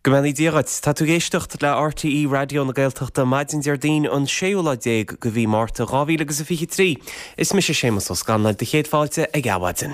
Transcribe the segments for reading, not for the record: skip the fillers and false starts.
Go mbeannaí Dia dhuit. Tá tú ag éisteacht le RTÉ Raidió na Gaeltachta maidin Déardaoin an séú lá déag de mhí Márta 2000 agus a 23. Is mise Séamus Ó Scanláin, do chéad fáilte ag Adhmhaidin.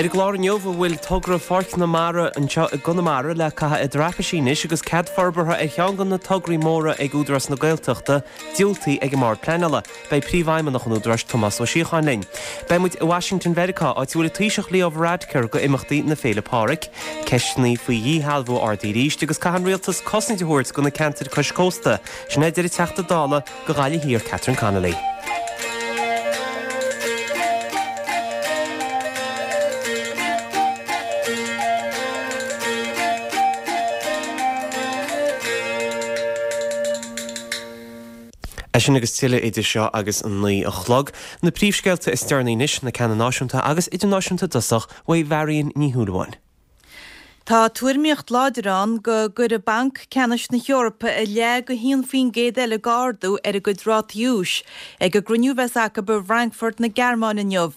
Ar an gclár inniu, an bhfuil togra Pháirc na Mara anseo i gConamara le caitheamh i dtraipisí anois agus cead forbartha ar cheann de na tograí móra ag Údarás na Gaeltachta diúltaithe ag an mBord Pleanála. Beidh Príomhfheidhmeannach an Údaráis, Tomás Ó Síocháin linn. Beidh muid i Washington Mheiriceá, áit a bhfuil an Taoiseach Leo Varadkar go imeachtaí na Féile Pádraig. Ceisteanna faoi dhíshealbhú ardaithe arís agus caithfidh an rialtas cosaint a thabhairt do na ceantair cois cósta. Sin é a deir an Teachta Dála do Ghaillimh Thiar Catherine Connolly. É sin agus tuilleadh idir seo agus an 9 a chlog. Na príomhscéalta is deireanaí anois, na ceanna náisiúnta agus idirnáisiúnta i dtosach, uaidh Mharion Ní Shúilleabháin. Tá tuairimíocht láidir ann go gcuirfidh Banc Ceannais na hEorpa a leath go 1% eile d'ardú ar a gcuid rátaí úis ag an gcruinniú a bheas acu i bhFrankfurt na Gearmáine inniu.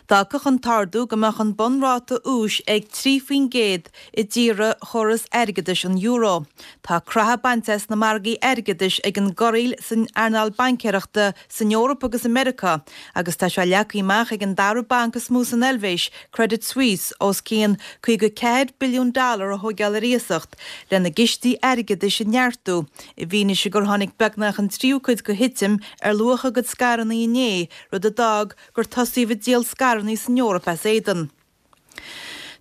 D'fhágfadh an t-ardú go mbeadh an bunráta úis ag 3% i dtíortha chóras airgeadais an euro. Tá croitheadh bainte as na margaí airgeadais ag an gcorraíl san earnáil baincéireachta san Eoraip agus i Meiriceá agus tá sé leagtha amach ag an dara banc is mó san Eilvéis, Credit Suisse, os cionn 54 billiún dollar a thóigeáil ar iasacht lena gcistí airgeadais a neartú i bhfianaise gur tháinig beagnach an tríú cuid de thitim ar luach a gcuid scaireanna inné, rud a d'fhág gur tosaíodh ag díol scaireanna san Eoraip as éadan.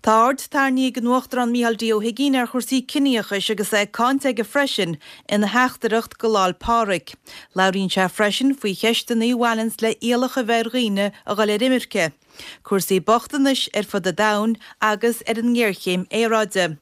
Tá aird tarraingthe ag an Uachtarán Micheál D. Ó hUigínn ar chúrsaí ciníochais agus é cáinte aige freisin ina theachtaireacht go Lá'l Pádraig. Labhraíonn sé freisin faoi cheisteanna a bhaineanns le iallach a bheith ar dhaoine a dhul ar imirce, cúrsaí bochtanais ar fud an domhain agus ar an ngéarchéim aeráide.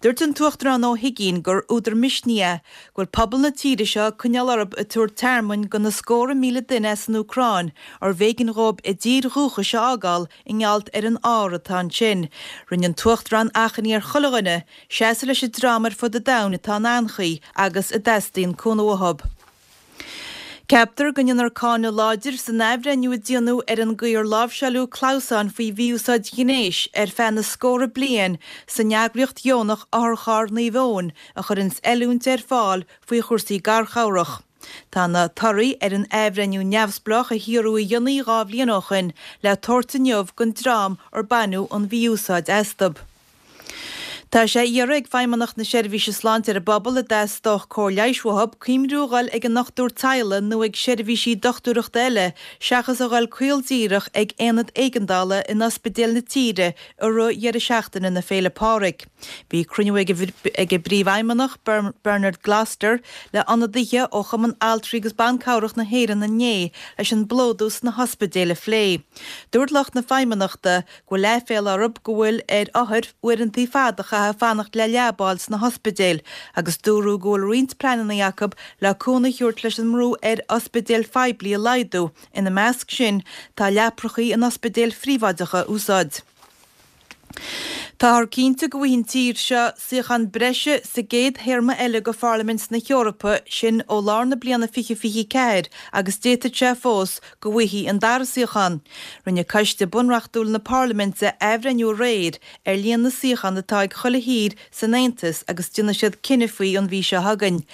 Dúirt an tUachtarán Ó hUigínn gur údar misnigh é go bhfuil pobal na tíre seo ag coinneáil orthu ag tabhairt tearmainn do na scórtha míle duine as an Úcráin arbh éigean dhóibh a dtír dhúchais a fhágáil i ngeall ar an ár atá ansin. Rinne an tUachtarán achainí ar chuile dhuine seasamh leis an dream ar fud an domhain atá in anchaoi agus a dteastaíonn cúnamh uathu. Ceaptar go ndéanfar cáineadh láidir san athbhreithniú a déanadh ar an gcaoi ar láimhseáileadh clamhsáin faoi mhí-úsáid ghnéis ar feadh na scórtha bliain san eagraíocht dheonach Otharcharr Naomh Eoin a chuireanns oiliúint ar fáil faoi chúrsaí garchabhrach. Tá na torthaí ar an athbhreithniú neamhspleách a hiarradh a dhéanamh 2 bhliain ó shoin le tabhairt inniu don dream ar baineadh an mhí-úsáid astu. Tá sé iarrtha ag Feidhmeannacht na Seirbhíse Sláinte ar an bpobal a dteastódh cóir leighis uathu cuimhniú a dhul ag a ndochtúir teaghlaigh nó ag seirbhísí dochtúireachta eile seachas a dhul caol díreach ag aonad éigeandála in ospidéil na tíre i rith dheireadh seachtaine na Féile Pádraig. Bhí cruinniú ag an bPríomhfheidhmeannach, Bernard Gloster, le ionadaithe ó Chumann Altraí agus Ban Cabhrach na hÉireann inné leis an bplódú sna hospidéil a phlé. Dúirt lucht na Feidhmeannachta go bhfuil aiféala orthu go bhfuil ar othair uaireanta fada a chaitheamh ag fanacht le leaba a fháil sna hospidéil agus dúradh go bhfuil roinnt pleananna acu le cúnamh a thabhairt leis an mbrú ar ospidéil phoiblí a laghdú, ina measc sin tá leaprachaí in ospidéil phríobháideacha a úsáid. Táthar cinnte go bhfaighidh an tír seo suíochán breise sa gcéad théarma eile de Pharlaimint na hEorpa, sin ó lár na bliana 2024 agus d'fhéadfadh sé fós go bhfaighfí an dara suíochán. Rinne Coiste Bunreachtúil na Parlaiminte athbhreithniú aréir ar líon na suíochán atá ag chuile thír san Aontas agus déanfaidh siad cinneadh faoi an mhí seo chugainn.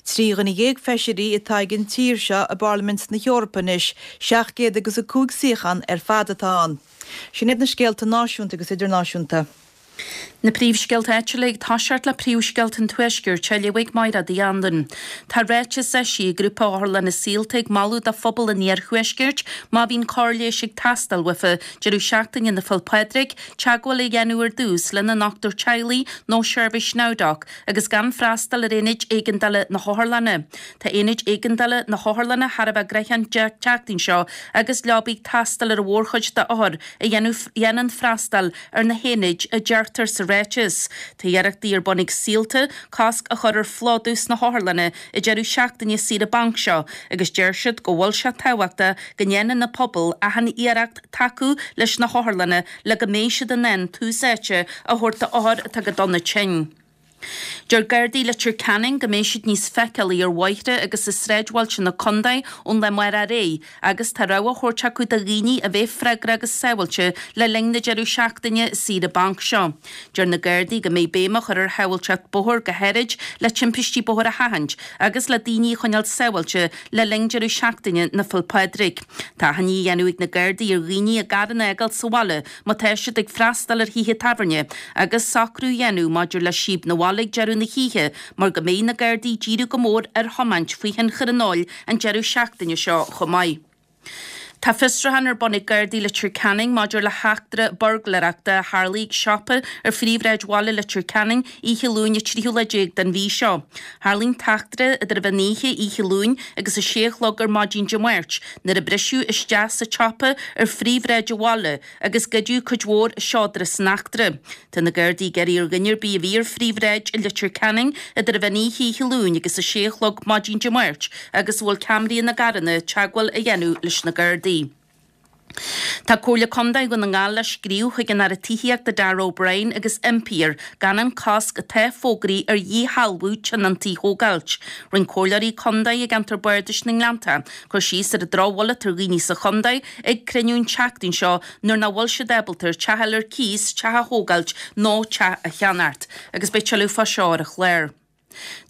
13 dhuine feisirí atá ag an tír seo i bParlaimint na hEorpa anois, 700 agus 5 suíochán ar fad atá ann. Sin iad na scéalta náisiúnta agus idirnáisiúnta. Na príomhscéalta áitiúla ag toiseacht le príomhscéalta an Tuaiscirt á léamh ag Máire Uí Anluain. Tá ráiteas eisithe ag grúpa Otharlanna Saolta ag moladh do phobal an iarthuaiscirt má bhíonn cóir leighis ag teastáil uafa deireadh seachtaine na Féil Pádraig, teagmháil a dhéanamh ar dtús lena ndochtúir teaghlaigh nó seirbhís NowDoc agus gan freastal ar aonaid éigeandála na hotharlanna. Tá aonaid éigeandála na hotharlanna thar a bheith gnoitheach an tseachtain seo agus leabaí ag teastáil ar an mhórchuid d'othair a dhéanann freastal ar na haonaid, a deirtear sa ráiteas. Tá iarrachtaí ar bun ag Saolta cosc a chur ar phlódú sna hotharlanna ag deireadh seachtaine saoire bainc seo agus deir siad go bhfuil sé tábhachtach go ndéanann na pobail achan iarracht tacú leis na hotharlanna le go mbeidh siad in ann tús áite a thabhairt d'othair atá go dona tinn. Deir Gardaí Leitir Ceanainn go mbeidh siad níos feiceálaí ar bhóithre agus i sráidbhailte na contae ón lá amárach ar aghaidh agus tá rabhadh á thabhairt acu do dhaoine a bheith freagrach agus sábháilte le linn na deireadh seachtaine saoire bainc seo. Deir na Gardaí go mbeidh béim á chur ar shábháilteacht bóthair go háirid le timpistí bóthair a sheachaint agus le daoine a choinneáil sábháilte le linn deireadh seachtaine na Féile Pádraig. Tá achainí á dhéanamh ag na Gardaí ar dhaoine a gcarranna a fhágáil sa bhaile má tá siad ag freastal ar thithe tábhairne agus socrú a dhéanamh maidir le síob 'na bhaile ag deireadh na hoíche mar go mbeidh na Gardaí ag díriú go mór ar thiomáint faoi thionchar an óil an deireadh seachtaine seo chomh maith. Tá fiosrúchán ar bun ag Gardaí Leitir Ceanainn maidir le heachtra buirgléireachta a tharlaigh ag siopa ar phríomhshráid bhaile Leitir Ceanainn oíche Luain an tríú lá déag den mhí seo. Tharlaigh an t-eachtra idir an mheán oíche oíche Luain agus a sé a chlog ar maidin Dé Máirt nuair a briseadh isteach sa tsiopa ar phríomhshráid an bhaile agus goideadh cuid mhór seodra san eachtra. Tá na Gardaí ag iarraidh ar dhuine ar bith a bhí ar phríomhshráid i Leitir Ceanainn idir an mheán oíche oíche Luain agus a sé a chlog maidin Dé Máirt agus a bhfuil ceamaraí ina gcarranna teagmháil a dhéanamh leis na Gardaí. Tá Comhairle Contae Dhún na nGall le scríobh chuig an Aire Tithíochta Darragh O'Brien agus impí air gan an cosc atá fógraithe ar dhíshealbhú tionóntaí a thógáilt. Rinne comhairleoirí contae i gceantar Bardais na nGleanntach cur síos ar an drochbhail atá ar dhaoine sa chontae ag cruinniú an tseachtain seo nuair nach bhfuil siad ábalta ar teach a fháil ar cíos, teach a thógáilt nó teach a cheannacht. Agus beidh tuilleadh fá seo ar an chlár.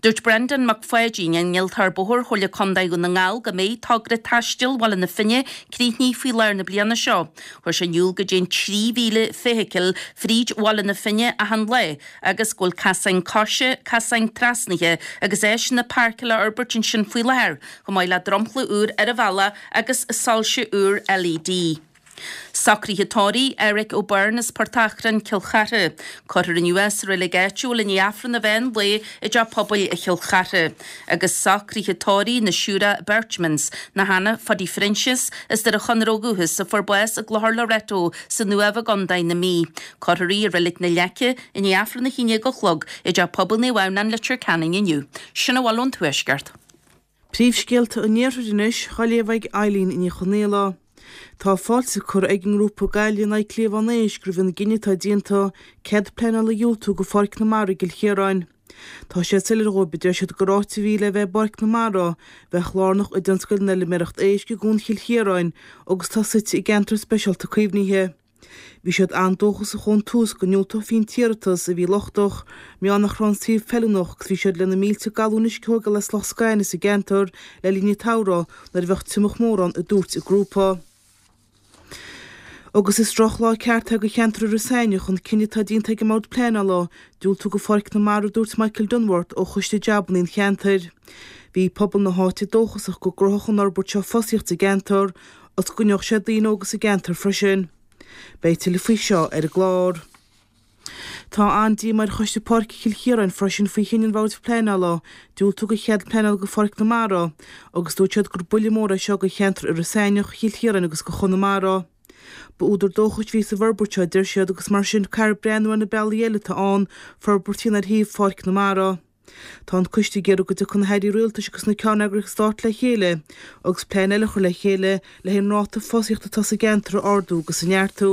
Dúirt Breandán Mac Pháidín, Innealtóir Bóthair Chomhairle Contae Dhún na nGall go mbeidh togra taistil Bhaile na Finne críochnaithe faoi lár na bliana seo. Chuir sé in iúl go dtéann 3,000 feithicil fríd Bhaile na Finne achan lá agus go bhfuil casáin coise, casáin trasnaithe agus áiseanna páirceála á fhorbairt ansin faoi láthair, chomh maith le dromchla úr ar an bhealach agus soilse úr LED. Socruithe tórraimh, Eric O'Byrne as Port Achrann, Cill Chartha. Cuirfear inniu é sa reilig áitiúil i ndiaidh Aifreann an mheán lae i dTeach Pobail Chill Chartha. Agus socruithe tórraimh na Siúire Berchmans, nó Hannah Phuddy Phroinsias, as Doire Chonaire ó dhúchas, a fuair bás i gClochar Loreto san Uaimh i gContae na Mí. Cuirfear í i Reilig na Leice i ndiaidh Aifreann a haon déag a chlog i dTeach Pobail Naomh Adhamhnáin, Leitir Ceanainn inniu. Sin a bhfuil ón Tuaisceart. Príomhscéalta an Iarthair anois, á léamh ag Eileen Ní Chonaola. Tá fáilte curtha ag an ngrúpa Gaillimh in aghaidh Cliabhán Éisc roimh an gcinneadh atá déanta cead pleanála a dhiúltú go Pháirc na Mara i gCill Chiaráin. Tá sé soiléir dhóibh, a deir siad, gur áit a bhí le bheith i bPáirc na Mara, bheadh lárnach i dtionscal na bhfeilméireacht éisc i gCuan Chill Chiaráin agus atá suite i gceantar speisialta caomhnaithe. Bhí siad an-dóchasach ón tús go ndiúltófaí an t-iarratas, a bhí lochtach, mar gheall nach raibh an suíomh feiliúnach agus bhí siad le na mílte galún uisce a thógáil as Loch Scaine sa gceantar le linn an tsamhraidh nuair a bheadh triomach mór ann, a dúirt an grúpa. Agus is drochlá ceart é do cheantar Iorras Aithneach an cinneadh atá déanta ag an mBord Pleanála diúltú do Pháirc na Mara a dúirt Michael Dunworth ó Choiste Jabanna an cheantair. Bhí pobal na háite dóchasach go gcruthódh an fhorbairt seo fostaíocht sa gceantar agus go gcoinneodh sé daoine óga sa gceantar freisin. Beidh tuilleadh faoi seo ar an gclár. Tá an-díomá ar Choiste Páirce Chill Chiaráin freisin faoi chinneadh an Bhoird Pleanála diúltú do chead pleanála do Pháirc na Mara agus dúirt siad gur buille mór é seo do cheantar Iorras Aithneach, Chill Chiaráin agus do Chonamara. Ba údar dóchais a bhí sa bhforbairt seo, a deir siad, agus mar sin caithfear breathnú ar na bealaí eile atá ann forbairt a dhéanamh ar shuíomh Pháirc na Mara. Tá an coiste ag iarraidh go dtiocfaidh na hairí rialtais agus na ceanneagraíochtaí stáit le chéile agus plean eile a chur le chéile le an ráta fostaíochta atá sa gceantar a ardú agus a neartú.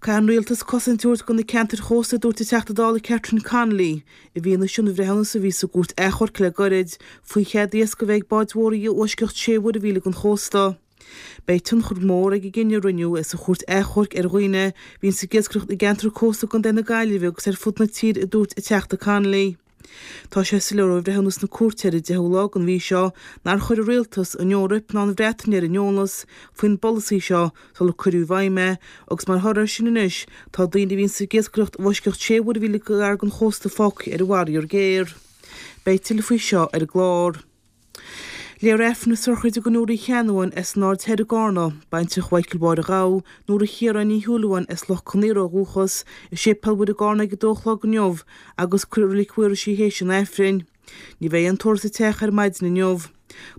Caithfidh an rialtas cosaint a thabhairt do na ceantair chósta, a dúirt an Teachta Dála Catherine Connolly, i bhfianaise an bhreithiúnas a bhí sa gcúirt achomhairc le gairid faoi chead iasc a bheith ag báid mhóra i bhfoisceacht sé mhuirmhíle den chósta. Beidh tionchar mór ag an gcinneadh a rinneadh sa chúirt achomhairc ar dhaoine a bhíonns ag iascaireacht i gceantar cósta i gContae na Gaillimhe agus ar fud na tíre a dúirt an Teachta Connolly. Tá sé soiléir ó bhreithiúnas na cúirte ar an 10ú lá den mhí seo nár chuir an rialtas, an Eoraip ná an Bhreatain ar an eolas faoin bpolasaí seo sular cuireadh i bhfeidhm é agus mar thoradh air sin anois tá daoine a bhíonns ag iascaireacht i bhfoisceacht sé mhuirmhíle gar don chósta fágtha ar an bhfaraor géar. Beidh tuilleadh faoi seo ar an gclár. Léifear Aifreann na sochraide do Nóra Uí Cheannabháin as an Aird Thoir i gCarna, baintreach Mhichael Mháire Ghabha, Nóra Chiaráin Ní Shúilleabháin as Loch Con Aortha ó dhúchas, i Séipéal Mhuire i gCarna ag a dó a chlog inniu agus cuirfear i Reilig Mhaorais í théis an Aifrinn. Ní bheidh aon tórramh sa teach ar maidin inniu.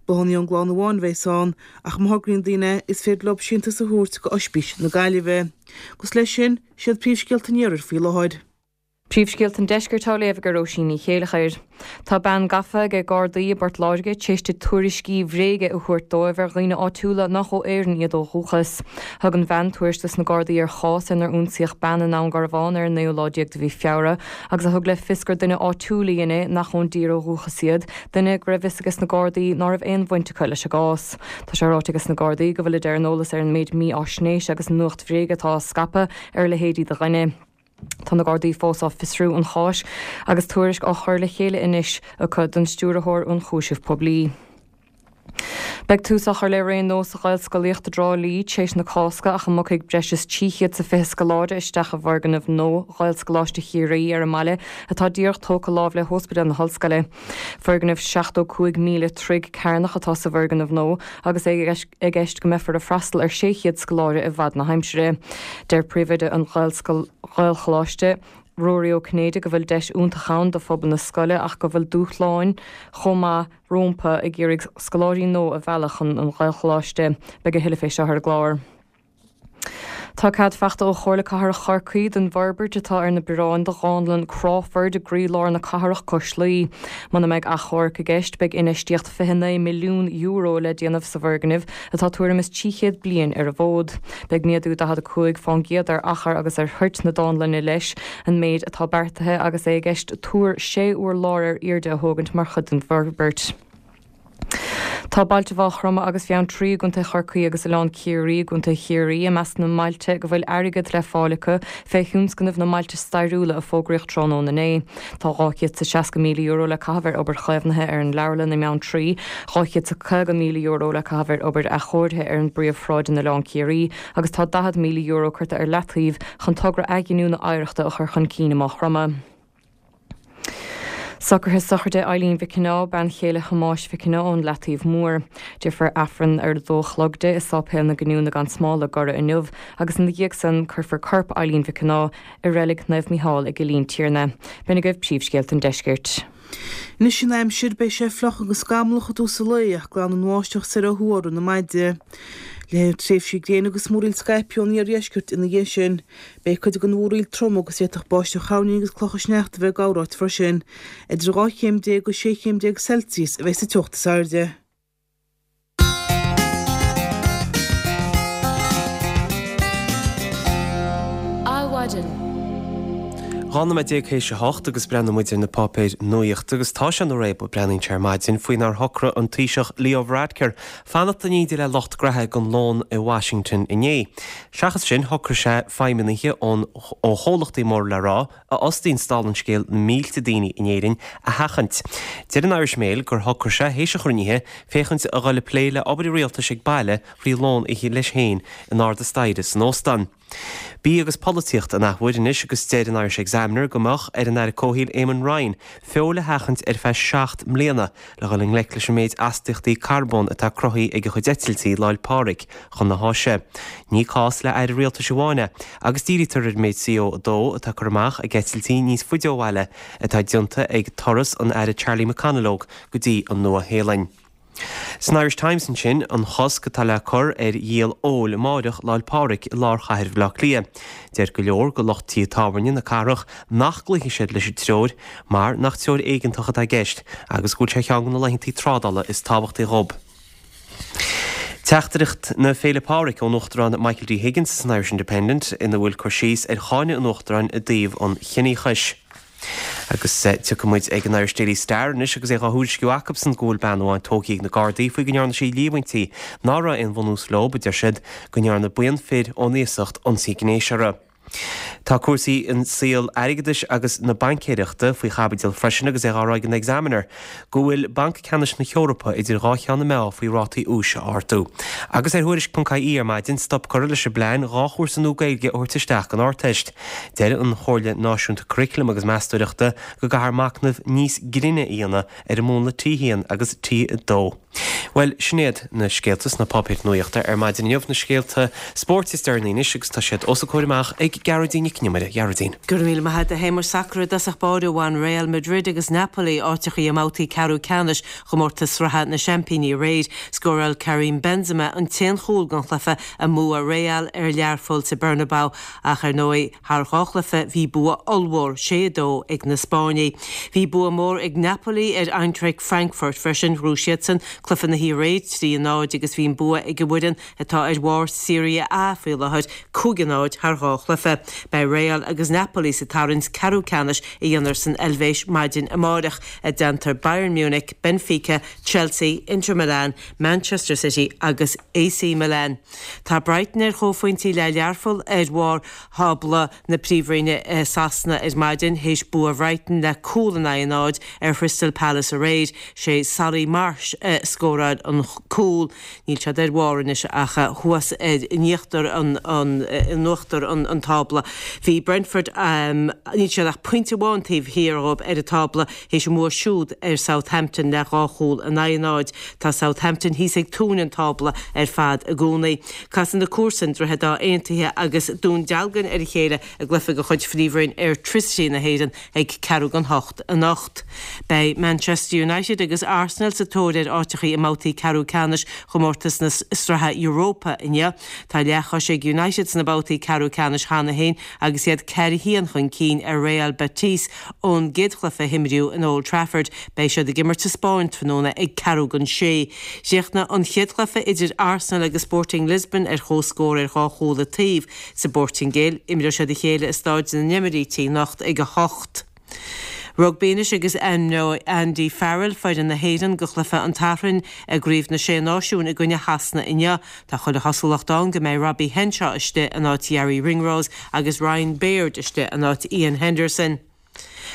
Bláthanna ón gclann amháin a bheas ann, ach má thograíonn daoine is féidir leo síntiús a thabhairt go Oispís na Gaillimhe. Agus leis sin, siad príomhscéalta an Iarthair faoi láthair. Príomhscéalta an Deiscirt á léamh ag Róisín Ní Chéileachair. Tá bean gafa ag Gardaí i bPort Láirge tar éis di tuairiscí bhréige a thabhairt dóibh ar dhaoine áitiúla nach ó Éirinn iad ó dhúchas. Thug an bhean tuairisc dos na Gardaí ar chás inar ionsaíodh bean i nDún Garbhán ar an naoú lá déag de mhí Feabhra agus a thug le fios gur duine áitiúil a dhein é nach ón dtír ó dhúchas iad, duine go raibh fhios ages na Gardaí ná raibh aon bhaint acu leis an gcás. Tá sé ráite ages na Gardaí go bhfuilid ar an eolas ar an méid mífháisnéise agus nuacht bhréige atá á scaipeadh ar a leithéidí de dhuine. Tá na Gardaí fós á fiosrú an cháis agus tuairisc á chur le chéile anois acu don Stiúrthóir Ionchúiseamh Poiblí. Beidh tús á chur le ré nua sa Ghaelscolaíocht i dTrá Lí tar éis na Cásca ach a mbogfaidh breis is 320 scoláire isteach i bhfoirgneamh nua Ghaelscoláiste Chiarraí ar an mbaile atá díreach tógtha láimh le hOspidéal na hOllscoile. Foirgneamh 75,000 troigh cearnach atá sa bhfoirgneamh nua agus é i gceist go mbeifear ag freastal ar 600 scoláire i bhfad na haimsire. Deir príomhoide an Ghaelcholáiste, Ruairí Ó Cinnéide go bhfuil deis iontach ann do phobal na scoile ach go bhfuil dúshláin chomh maith rómpa ag iarraidh scoláirí nua a mhealladh chun an Ghaelcholáiste. Beidh a thuilleadh fé seo ar an gclár. Tá cead faighte ó Chomhairle Cathrach Chorcaí don bhforbairt atá ar na bioráin do Dhánlann Crawford i gcroílár na cathrach cois Laoi. Muna mbeidh achomharc i gceist, beidh infheistíocht €29 milliún le déanamh sa bhfoirgneamh atá tuairim is 300 bliain ar an bhfód. Beidh méadú 45% ar achar agus ar thoirt na dánlainne leis an méid atá beartaithe agus é i gceist túr sé urlár ar airde a thógaint mar chuid den bhforbairt. Tá bailte Mhaigh Chromtha agus Bheanntraí i gContae Chorcaí agus Oileán Ciarraí i gContae Chiarraí i measc na mbailte go bhfuil airgead le fáil acu fé thionscnamh na mBailte Stairiúla a fógraíodh tráthnóna inné. Tá €260,000 le caitheamh ar obair chaomhnaithe ar an leabharlann i mBeanntraí, €250,000 le caitheamh ar obair athchóirithe ar an bpríomhshráid in Oileán Ciarraí agus tá €40,000 curtha ar leataobh chun togra athghiniúna oidhreachta a chur chun cinn i Maigh Chromtha. Socruithe sochraide Eileen Mhic Cionnaith, bean chéile Thomáis Mhic Cionnaith ón Leataobh Mór. Déarfar Aifreann ar a dó a chlog di i Sáipéal na Giniúna gan Smál i gCora inniu agus ina dhiaidh san cuirfear corp Eileen Mhic Cionnaith i Reilig Naomh Mícheál i gCill Intiarna. B'in agaibh príomhscéalta an deiscirt. Anois an aimsir, beidh sé fliuch agus scamallach i dtús an lae ach glanfaidh an bháisteach soir ó thuaidh i rith na maidine. Léireoidh tréimhsí gréine agus múraíl scaipthe ón iardheisceart ina dhiaidh sin. Beidh cuid den mhúraíl trom agus d'fhéadfadh báisteach thoirní agus clocha sneachta bheith ag corráit freisin. Idir 12 chéim agus 16 chéim Celsius a bheidh sa teocht is airde. Adhmhaidin. 12 nóiméad théis a hocht agus breathnóidh muid ar na páipéir nuaíochta agus tá sé ina réabadh, breathnaíonn sé ar maidin, faoi nár shocraigh an Taoiseach Leo Varadkar fanacht in éindí le lucht graithe don lón i Washington inné. Seachas sin, shocraigh sé feidhmeannaithe ón ó chomhlachtaí mór le rá, a fhostaíonns dála an scéil na mílte daoine in Éirinn, a sheachaint. Deir an Irish Mail gur shocraigh sé, théis an chruinnithe, féachaint a dhul ag plé le obair an rialtais ag baile thrí lón a ithe leis féin in ard an staighre san óstán. Bia agus polaitíocht an athuair anois agus deir an Irish Examiner go mbeadh ar an Aire Comhshaoil Eamon Ryan feoil a sheachaint ar feadh 7 mbliana le dhul i ngleic leis an méid astaíochtaí carbóin atá cruthaithe ag a chuid eitiltí Lá 'le Pádraig chun na hÁise. Ní cás le aire rialtais amháin é agus dírítear ar an méid CO2 atá curtha amach ag eitiltí níos faide ó bhaile atá déanta ag turas an Aire Charlie McConalogue go dtí an Nua-Shéalainn. San Irish Times ansin, an chosc atá le cur ar dhíol óil amáireach Lá 'le Pádraig i lár chathair Bhaile Átha Cliath. Deir go leor de lucht tithe tábhairne na cathrach nach gcloífidh siad leis an treoir mar nach treoir éigeantach atá i gceist agus go bhfuil sé ar cheann de na laethanta trádála is tábhachtaí dhób. Teachtaireacht na Féile Pádraig ón Uachtarán Michael D Higgins san Irish Independent ina bhfuil cur síos ar cháineadh an Uachtaráin i dtaobh an chiníochais. Agus tiocfaidh muid ag an Irish Daily Star anois agus é dhá thuairisciú acubsan go bhfuil bean amháin tógtha ag na Gardaí faoi go ndearna sí líomhaintí ná raibh aon bhunús leo, a deir siad, go ndearna buíon fir ón iasacht ionsaí gnéis uirthi. Tá cúrsaí i saol airgeadais agus na baincéireachta faoi chaibidil freisin agus é dhá rá ag an Examiner go bhfuil Banc Ceannais na hEorpa idir dhá cheann na meá faoi rátaí úis a ardú. Agus ar Thuairisc.ie ar maidin, stop curtha leis an bplean 2 chúrsa nua Gaeilge a thabhairt isteach don Ardteist. Deir an Chomhairle Náisiúnta Curaclaim agus Meastóireachta go gcaithfear machnamh níos grinne a dhéanamh ar an múnla T1 agus T2. Bhuel, sin iad na scéalta sna páipéir nuachta ar maidin inniu, na scéalta spóirt is deireanaí anois agus tá siad os a comhair amach ag. ag Gearóidín Nic Con Iomaire. Gearóidín. Go raibh míle maith agat a Shéamuis. Sacar i dtosach báire bhain Real Madrid agus Napoli áiteachaí i mbabhtaí ceathrú ceannais chomórtas sraithe na Seaimpíní aréir. Scóráil Karim Benzema an t-aon chúl den chluiche i mbua Real ar Learpholl sa Bernabeu ach ar ndóigh thar dhá chluiche bhí bua ollmhór, 6-2, ag na Spáinnigh. Bhí bua mór ag Napoli ar Eintracht Frankfurt freisin, ghnóthaigh siadsan cluiche na hoíche aréir, 3-0, agus bhí an bua ag an bhfoireann atá ar bharr Serie A faoi láthair, 5-0 thar dhá chluiche. Beidh Real agus Napoli sa tarraingt ceathrú ceannais a dhéanfar san Eilvéis maidin amárach, i dteannta Bayern Munich, Benfica, Chelsea, Inter Milan, Manchester City agus AC Milan. Tá Brighton ar chomhphointí le Learpholl ar bharr thábla na Príomhroinne i Sasana ar maidin théis bua Bhrighton le cúl in aghaidh a náid ar Chrystal Palace aréir. Sé Solly March a scóráil an cúl. Níl siad ar bharr anois ach thuas ar in íochtar an in uachtar an tábla. Bhí Brentford níl siad ach pointe amháin taobh thiar dhóibh ar an tábla théis a mbua siúd ar Southampton le dhá chúl in aghaidh a náid. Tá Southampton thíos ag tóin an tábla ar fad i gcónaí. Casfaidh na comharsain, Droichead Átha Aontaithe agus Dún Dealgan ar a chéile i gcluiche de chuid Phríomhroinn Airtricity na hÉireann ag ceathrú don hocht anocht. Beidh Manchester United agus Arsenal sa tóir ar áiteachaí i mbabhtaí ceathrú ceannais chomórtas na Sraithe Europa inniu. Tá leathchois ag United sna babhtaí ceathrú ceannais cheana féin agus iad 4-1 chun cinn ar Real Betis ón gcéad chluiche a himríodh in Old Trafford. Beidh siad ag imirt sa Spáinn tráthnóna ag ceathrú don sé. Chríochnaigh an chéad chluiche idir Arsenal agus Sporting Lisbon ar comhscór ar dhá chúl an taobh. Sa bPortaingéil, imreoidh siad a chéile i Stáid na nEimiríti anocht ag 8. Rugbaí anois agus ainmneoidh Andy Farrell foireann na hÉireann do chluiche an tSathairn i gCraobh na Sé Náisiún i gcoinne Shasana inniu. Tá chuile chosúlacht ann go mbeidh Robbie Henshaw istigh in áit Garry Ringrose agus Ryan Baird istigh in áit Iain Henderson.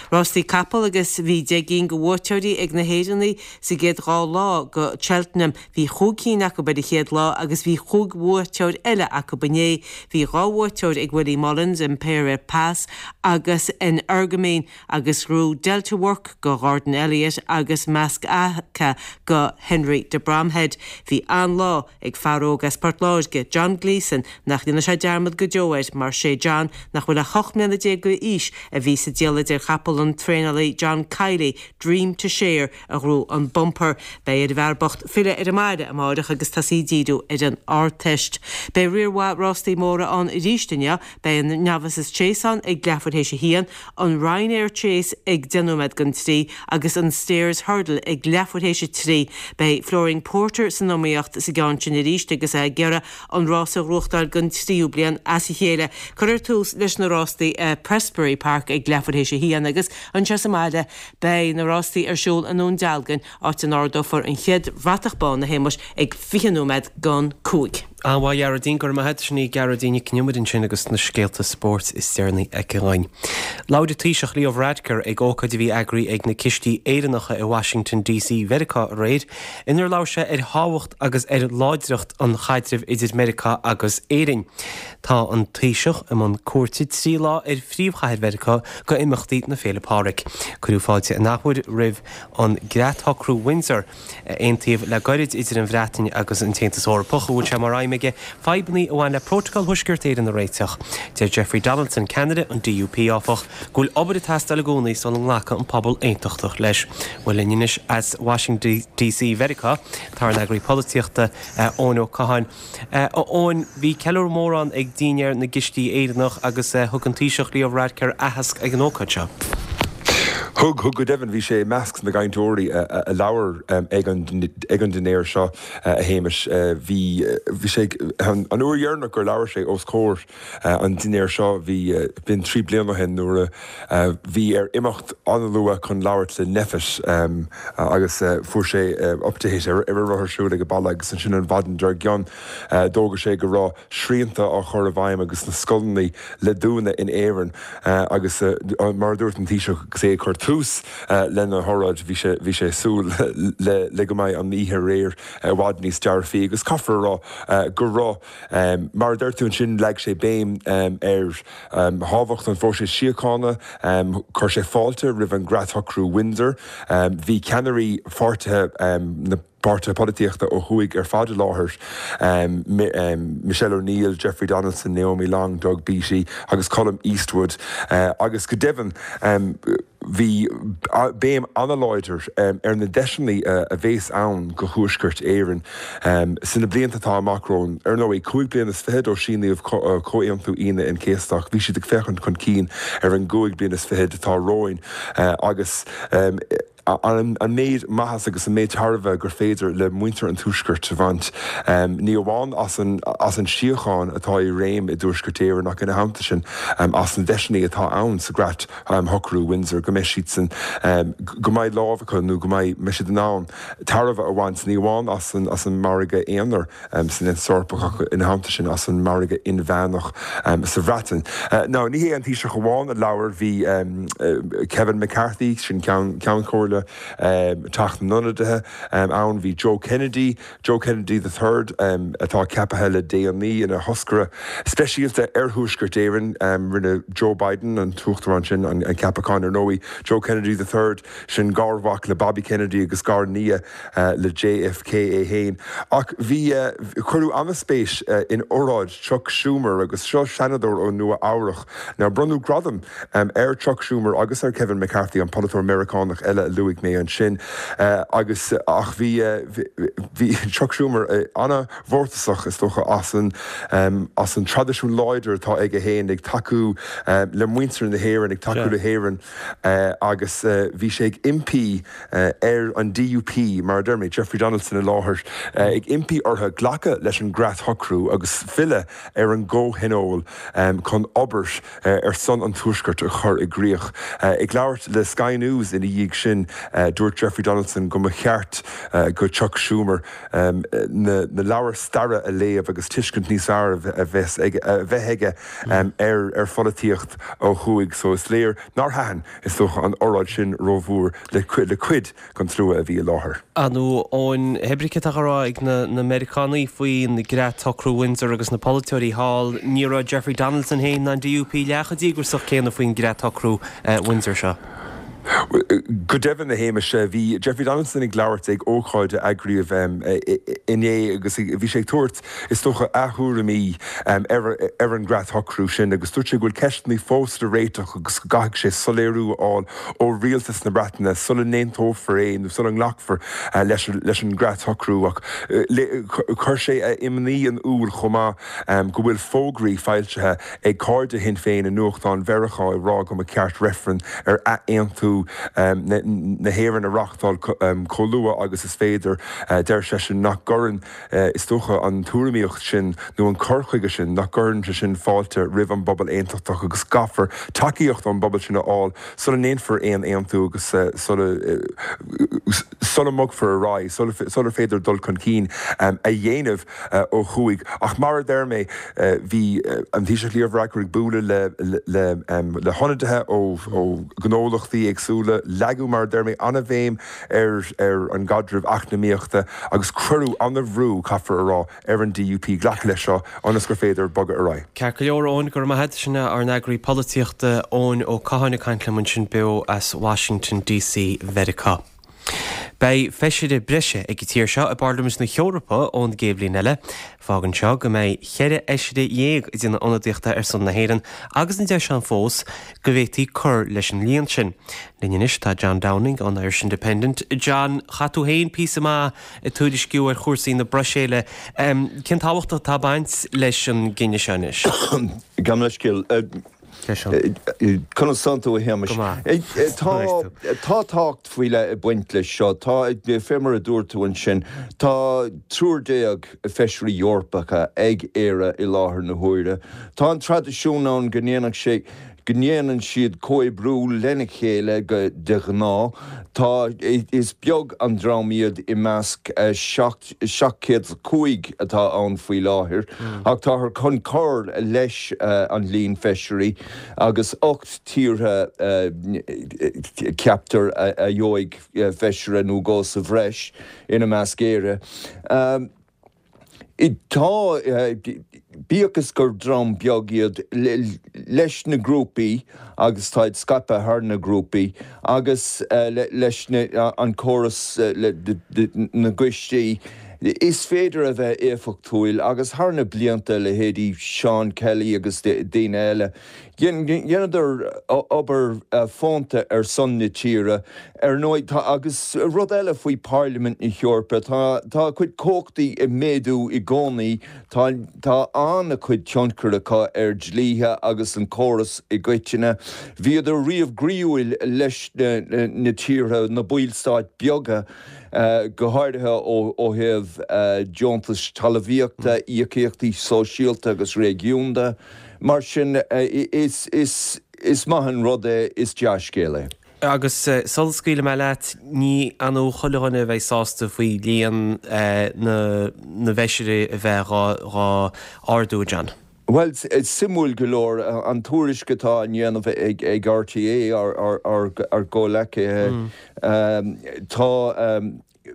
Rástaí capall agus bhí 10 gcinn de bhuaiteoirí ag na hÉireannaigh sa gcéad dhá lá go Cheltenham. Bhí chúig cinn acu ar an chéad lá agus bhí chúig bhuaiteoir eile acu inné. Bhí dhá bhuaiteoir ag Willie Mullins, Impaire Et Passe agus Energumene agus ghnóthaigh Delta Work go Gordon Elliott agus Maskaka go Henry de Bromhead. Bhí an-lá Ag fear óg as Port Láirge, John Gleeson, nach ndéanfaidh sé dearmad go deo air mar sé John, nach bhfuil ach 18 mbliana d'aois, a bhí sa diallait ar chapall an traenálaí John Kiely, Dream To Share, a ghnóthaigh an bumper. Beidh ar an bhfear bocht filleadh ar an mbaile amáireach agus tosaí ag díriú ar an Ardteist. Beidh riar mhaith rástaí móra ann arís inniu. Beidh an Novices Chase ann ag leathuair théis a haon, an Ryanair Chase ag 10 nóiméad don trí agus an Stayers Hurdle ag leathuair théis a trí. Beidh Flooring Porter san iomaíocht sa gceann sin arís agus é ag iarraidh an rás a ghnóthachtáil don tríú bliain as a chéile. Cuirfear tús leis na rástaí i Prestbury Park ag leathuair théis a haon agus anseo sa mbaile beidh na rástaí ar siúl i nDún Dealgan áit a n-ardófar an chéad bhratach bán, a Shéamuis, ag 20 nóiméad don cúig. An-mhaith, a Ghearóidín, go raibh maith agat. Sin í Gearóidín Nic Con Iomaire ansin agus na scéalta spóirt is deireanaí aici dhúinn. Labhair an Taoiseach Leo Varadkar ag ócáid a bhí eagraithe ag na Cistí Éireannacha i Washington DC Mheiriceá aréir, inar labhair sé ar thábhacht agus ar láidreacht an chaidrimh idir Meiriceá agus Éirinn. Tá an Taoiseach i mbun cuairte trí lá ar phríomhchathair Mheiriceá go imeachtaí na Féile Pádraig. Cuireadh fáilte an athuair roimh an gCreat-Shocrú Windsor, a aontaíodh le gairid idir an Bhreatain agus an tAontas Eorpach, a bhfuil sé mar aidhm aige fadhbanna a bhain le Prótacal Thuaisceart Éireann a réiteach. Deir Jeffrey Donaldson, ceannaire an DUP, áfach, go bhfuil obair ag teastáil i gcónaí sula nglacfaidh an pobal aontachtach leis. Bhuel linn anois as Washington DC Mheiriceá, tá ár n-eagraí polaitíochta, Eoin Ó Catháin. A Eoin, bhí ceiliúradh mór ann ag Dinnéar na gCistí Éireannach agus thug an Taoiseach Leo Varadkar aitheasc ag an ócáid seo. Thug, thug go deimhin. Bhí sé i measc na gcainteoirí a labhair ag an ag an dinnéar seo, a Shéamais. Bhí, bhí sé, an uair dheireanach gur labhair sé os comhair an dinnéir seo, bhí, b'in trí bliana ó shin nuair a bhí air imeacht an-luath chun labhairt le NPHET agus fuair sé update ar a raibh ar siúl ag an baile agus ansin an mhaidin dár gcionn d'fhógair sé go raibh srianta á chur i bhfeidhm agus na scoileanna le dúnadh in Éirinn agus mar a dúirt an Taoiseach agus é ag cur tús lena hóráid bhí sé bhí sé ag súil le le go mbeidh an oíche aréir i bhfad níos dearfaí agus caithfear a rá go raibh. Mar a deir tú ansin, leag sé béim ar thábhacht an phróisis síochána, chuir sé fáilte roimh an gCreat-Shocrú Windsor. Bhí ceannairí pháirtithe na. Páirtithe polaitíochta ó thuaidh ar fad i láthair, Michelle O'Neill, Jeffrey Donaldson, Naomi Long, Doug Beattie agus Colum Eastwood agus go deimhin bhí béim an-láidir ar na deiseanna a bhéas ann go Thuaisceart Éireann sna blianta atá amach romhainn. Ar ndóigh, 25 bliana ó síníodh Comhaontú Aoine an Chéasta ach bhí siad ag féachaint chun cinn ar an gcúig bliana is fichead atá romhainn agus an méid maitheas agus an méid tairbhe gur féidir le muintir an Tuaiscirt a bhaint, ní amháin as an as an síocháin atá i réim i dTuaisceart Éireann ach ina theannta sin as na deiseanna atá ann sa gCreat Shocrú Windsor, go mbeidh siadsan, go mbeidh lámh acu nó go mbeidh siad in ann tairbhe a bhaint ní amháin as an as an margadh aonair san Aontas Eorpach ach ina theannta sin as an margadh inmheánach sa Bhreatain. Now ní hé an Taoiseach amháin a labhair, bhí Kevin McCarthy, sin Ceann Comhairle Teach na nIonadaithe ann, bhí Joe Kennedy, Joe Kennedy the Third, atá ceaptha le déanaí ina thoscaire speisialta ar Thuaisceart Éireann, rinne Joe Biden, an tUachtarán sin, an ceapachán ar ndóigh, Joe Kennedy the Third, sin garmhac le Bobby Kennedy agus gar-nia le JFK é féin. Ach bhí, cuireadh an-spéis in óráid Chuck Schumer agus seo Seanadóir ó Nua Eabhrach. Now bronnadh gradam ar Chuck Schumer agus ar Kevin McCarthy, an polaiteoir Meiriceánach eile a luaigh mé ansin, agus ach bhí, bhí Chuck Schumer an-mhórtasach is dócha as an, as an traidisiún láidir atá aige féin ag tacú le muintir na hÉireann, ag tacú le hÉirinn agus bhí sé ag impí ar an DUP, mar a deir mé, Jeffrey Donaldson i láthair, ag impí orthu glacadh leis an gCreat-Shocrú agus filleadh ar an gcomhthionól chun obair ar son an Tuaiscirt a chur i gcrích. Ag labhairt le Sky News ina dhiaidh sin, dúirt Jeffrey Donaldson go mba cheart go Chuck Schumer na leabhair staire a léamh agus tuiscint níos fearr a bheith aige ar pholaitíocht ó thuaidh. So is léir nár thaitin Is dócha an óráid sin rómhór le cuid den tslua a bhí i láthair. Ar ndóigh, Eoin, hé brí céard atá á rá ag na Meiriceánaigh faoin gCreat-Shocrú Windsor agus na polaiteoirí thall, ní raibh Jeffrey Donaldson féin ná an DUP leath chomh díograiseach céanna faoin gCreat-Shocrú Windsor seo. Go deimhin, a Shéamais, bhí Jeffrey Donaldson ag labhairt ag ócáid a eagraíodh inné agus bhí sé ag tabhairt, is dócha, a thuairimí ar an gCreat-Shocrú sin agus dúirt sé go bhfuil ceisteanna fós le réiteach agus go gcaithfidh sé soiléiriú a fháil ó rialtas na Breataine sula n-aontófar é nó sula nglacfar leis an gCreat-Shocrú. Ach chuir sé a imní in iúl chomh maith go bhfuil fógraí foilsithe ag cairde Shinn Féin i nuachtáin Mheiriceá ag rá go mba cheart reifreann ar ath-aontú na hÉireann a reáchtáil chomh luath agus is féidir. Deir seisean nach gcuireann Is dócha an tuairimíocht sin nó an cur chuige sin, nach gcuireann sé sin fáilte roimh an bpobal aontachtach agus caithfear tacaíocht ón bpobal sin a fháil sula ndéanfar aon aontú agus sula sula mbogfar ar aghaidh, sular féidir dul chun cinn a dhéanamh ó thuaidh. Ach mar a deir mé, bhí an Taoiseach Leo Varadkar ag bualadh le le le hionadaithe ó ghnólachtaí éagsúla, leagadh mar a deir mé an-bhéim ar ar an gcaidreamh eacnamaíochta agus cuireadh an-bhrú, caithfear a rá, ar an DUP glacadh leis seo ionas gur féidir bogadh ar aghaidh. Ceart go leor, Eoin, go raibh maith agat. Sin é ár n-eagraí polaitíochta, Eoin Ó Catháin ag caint liom ansin beo as Washington DC Mheiriceá. Beidh feisire breise ag an tír seo i bParlaimint na hEorpa ón gcéad bhliain eile. Fágann seo go mbeidh cheithre fheisire dhéag ag déanamh ionadaíochta ar son na hÉireann agus an deis ann fós go bhféadfaí cur leis an líon sin. Linn anois tá John Downing ón Irish Independent. John, chaith tú féin píosa maith ag tuairisciú ar chúrsaí na Bruiséile. Cén tábhacht atá ag baint leis an gcinneadh seo anois? Gabh mo leithscéal. Conas tánn tú, a Shéamais? Go maith. Tá tá tábhacht faoi leith ag baint leis seo. Tá, fé mar a dúirt tú ansin, tá 13 feisirí Eorpacha ag Éire i láthair na huaire. Tá an traidisiún ann go ndéanfadh sé, go ndéanann siad comhoibriú lena chéile go de ghnáth. Tá, is beag an dream iad i measc 705 atá ann faoi láthair ach táthar chun cur leis an líon feisirí agus 8 tíortha ceaptar a gheobhaidh feisire nó dhó sa bhreis, ina measc Éire. Tá, bíodh is gur dream beag iad, leis na grúpaí agus táid scaipthe thar na grúpaí agus leis an córas na gcoistí, is féidir a bheith éifeachtúil agus thar na blianta, leithéidí Seán Kelly agus daoine eile, Dheineadar obair fónta ar son na tíre, ar ndóigh. Tá, agus rud eile faoi Pairlimint na hEorpa, tá, tá a cuid cumhachtaí ag méadú i gcónaí, tá, tá an-chuid tionchair acu ar dlíthe agus an córas i gcoitinne. Bhíodar riamh groíúil leis na, na tíortha, na ballstáit beaga, go háirithe ó thaobh deontais talmhaíochta, íocaíochtaí sóisialta agus réigiúnda. Mar sin, is maith an rud é, is dea-scéal é. Agus sula scaoilfidh mé leat, ní annamh chuile dhuine a bheidh sásta faoi líon na bhfeisirí a bheith dhá ardú, a John. Bhuel, suimiúil go leor, an tuairisc atá á ndéanamh ag RTÉ, ár gcomhleacaithe, tá.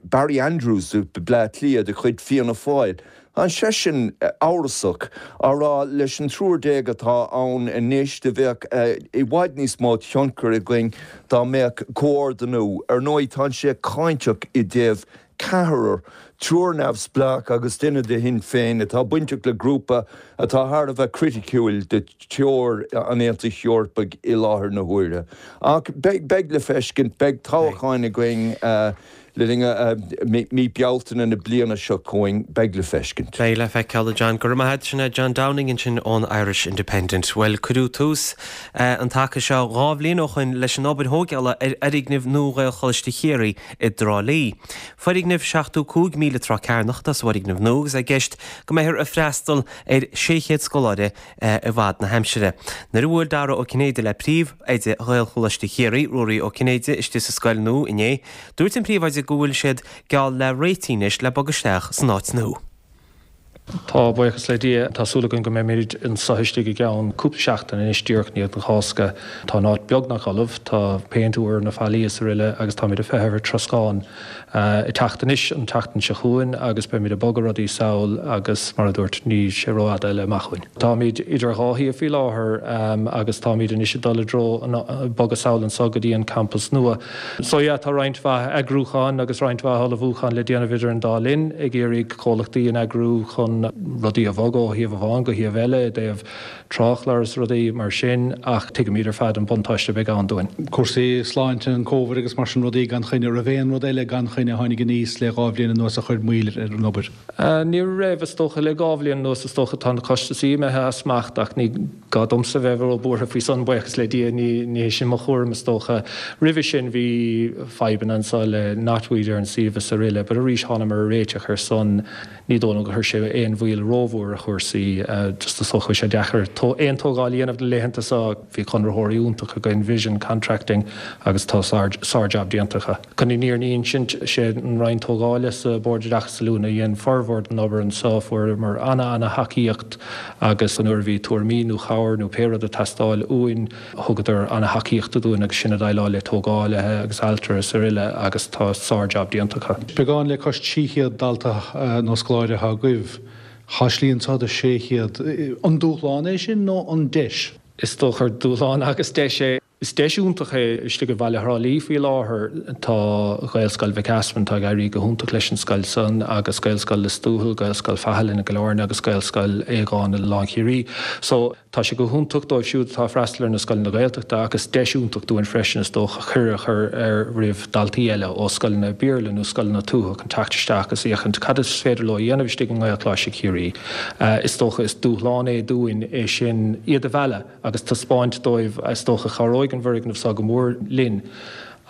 Barry Andrews, Bleá Cliath, de chuid Fianna Fáil, tá seisean amhrasach, á rá leis an triúr déag atá ann anois, do bheadh i bhfad níos mó tionchair againn dá mbeadh comhordú. Ar ndóigh, tá sé cáinteach i dtaobh ceathrar, triúr neamhspleách agus duine de Shinn Féin, atá bainteach le grúpa atá thar a bheith criticiúil de threoir an Aontais Eorpaigh i láthair na huaire. Ach beidh le feiscint, beidh toghcháin againn le linn mí Bealtaine na bliana seo chugainn, beidh le feiscint. Beidh le feiceáil, a John. Go raibh maith agat. Sin é John Downing ansin ón Irish Independent. Bhuel, cuireadh tús an taca seo 2 bhliain ó shoin leis an obair thóigeála ar fhoirgneamh nua Ghaelcholáiste Chiarraí i dTrá Lí. Foirgneamh 75,000 troigh cearnach atá sa bhfoirgneamh nua agus é i gceist go mbeifear ag freastal ar 600 scoláire i bhfad na haimsire. Nuair a bhuail Dara Ó Cinnéide le Príomh-Oide Ghaelcholáiste Chiarraí, Ruairí Ó Cinnéide, istigh sa scoil nua inné, dúirt an Príomhoide go bhfuil siad geall le réitithe anois le bogadh isteach san áit nua. Tá, buíochas le Dia. Tá súil againn go mbeimid anseo istigh i gceann cúpla seachtain anois, díreach i ndiaidh na Cásca. Tá an áit beagnach ullamh, tá péint úr ar na fallaí is aroile agus táimid ag feitheamh ar troscán. ag teacht anois an tseachtain seo chugainn agus beimid ag bogadh rudaí sall agus mar a dúirt níl sé rófhada eile amach uainn. Táimid idir dhá shuíomh faoi láthair agus táimid anois ag dul i dtreo bogadh sall anseo go dtí an campas nua. So yeah tá roinnt mhaith eagrúcháin agus roinnt mhaith ullmhúcháin le déanamh idir an dá linn ag iarraidh comhlachtaí a eagrú chun rudaí a bhogadh ó shuíomh amháin go shuíomh eile i dtaobh tráthchlár is rudaí mar sin ach tuigimid ar fad an buntáiste a bheidh ann dúinn. Cúrsaí sláinte, an Covid agus mar sin rudaí gan choinne. Raibh aon rud eile gan choinne a tháinig aníos le 2 bhliain anuas a chuir moill ar an obair? Ní raibh, is dócha. Le 2 bhliain anuas is dócha tá na costasaí imithe as smacht ach ní gá domsa bheith ró-buartha faoi san, buíochas le Dia, ní hé sin mo chúram is dócha. Roimhe sin bhí fadhbanna anseo le knotweed ar an suíomh is aroile but arís thánamar ar réiteach ar san. Ní dóigh liom gur chuir sé aon mhoill rómhór ar chúrsaí, just is dócha go bhfuil sé deacair aon tógáil a dhéanamh na laethanta seo. Bhí conraitheoirí iontach againn, Vision Contracting, agus tá sár-jab déanta acu. Chun an fhírinne a insint, sé an Roinn Tógála sa Bord Oideachais Oiliúna a dhein formhór den obair anseo. Fuaireamar ana-ana-thacaíocht agus nuair a bhí tuairimí nó cabhair nó pé rud ag teastáil uainn, Thugadar ana-thacaíocht dúinn agus sinn ag déileáil le tógálaithe agus ailtirí is aroile agus tá sár-jab déanta acu. Beagán le cois 300 dalta nó scoláire atá agaibh. Tá slí anseo do 600. An dúshlán é sin nó an deis? Is dócha gur dúshlán agus deis é. Is deis iontach é istigh i bhaile Thrá Lí faoi láthair. Tá Gaelscoil Mhic Easmainn, tá ag éirí go hiontach leis an scoil san agus Gaelscoil Lios Tuathail, Gaelscoil Faithleann i gCill Airne agus Gaelscoil Aodháin i Oileán Chiarraí. So. Tá sé go hiontach dóibh siúd atá ag freastal ar na scoileanna Gaeltachta ach is deis iontach dúinn freisin is dócha cuireadh a chur ar roimh daltaí eile ó scoileanna Béarla nó scoileanna tuaithe chun teacht isteach agus féachaint cad is féidir leo a dhéanamh istigh i nGaelcholáiste Chiarraí. Is dócha is dúshlán é dúinn é sin, iad a mhealladh agus taispeáint dóibh is dócha cabhróidh an bhfoirgneamh seo go mór linn.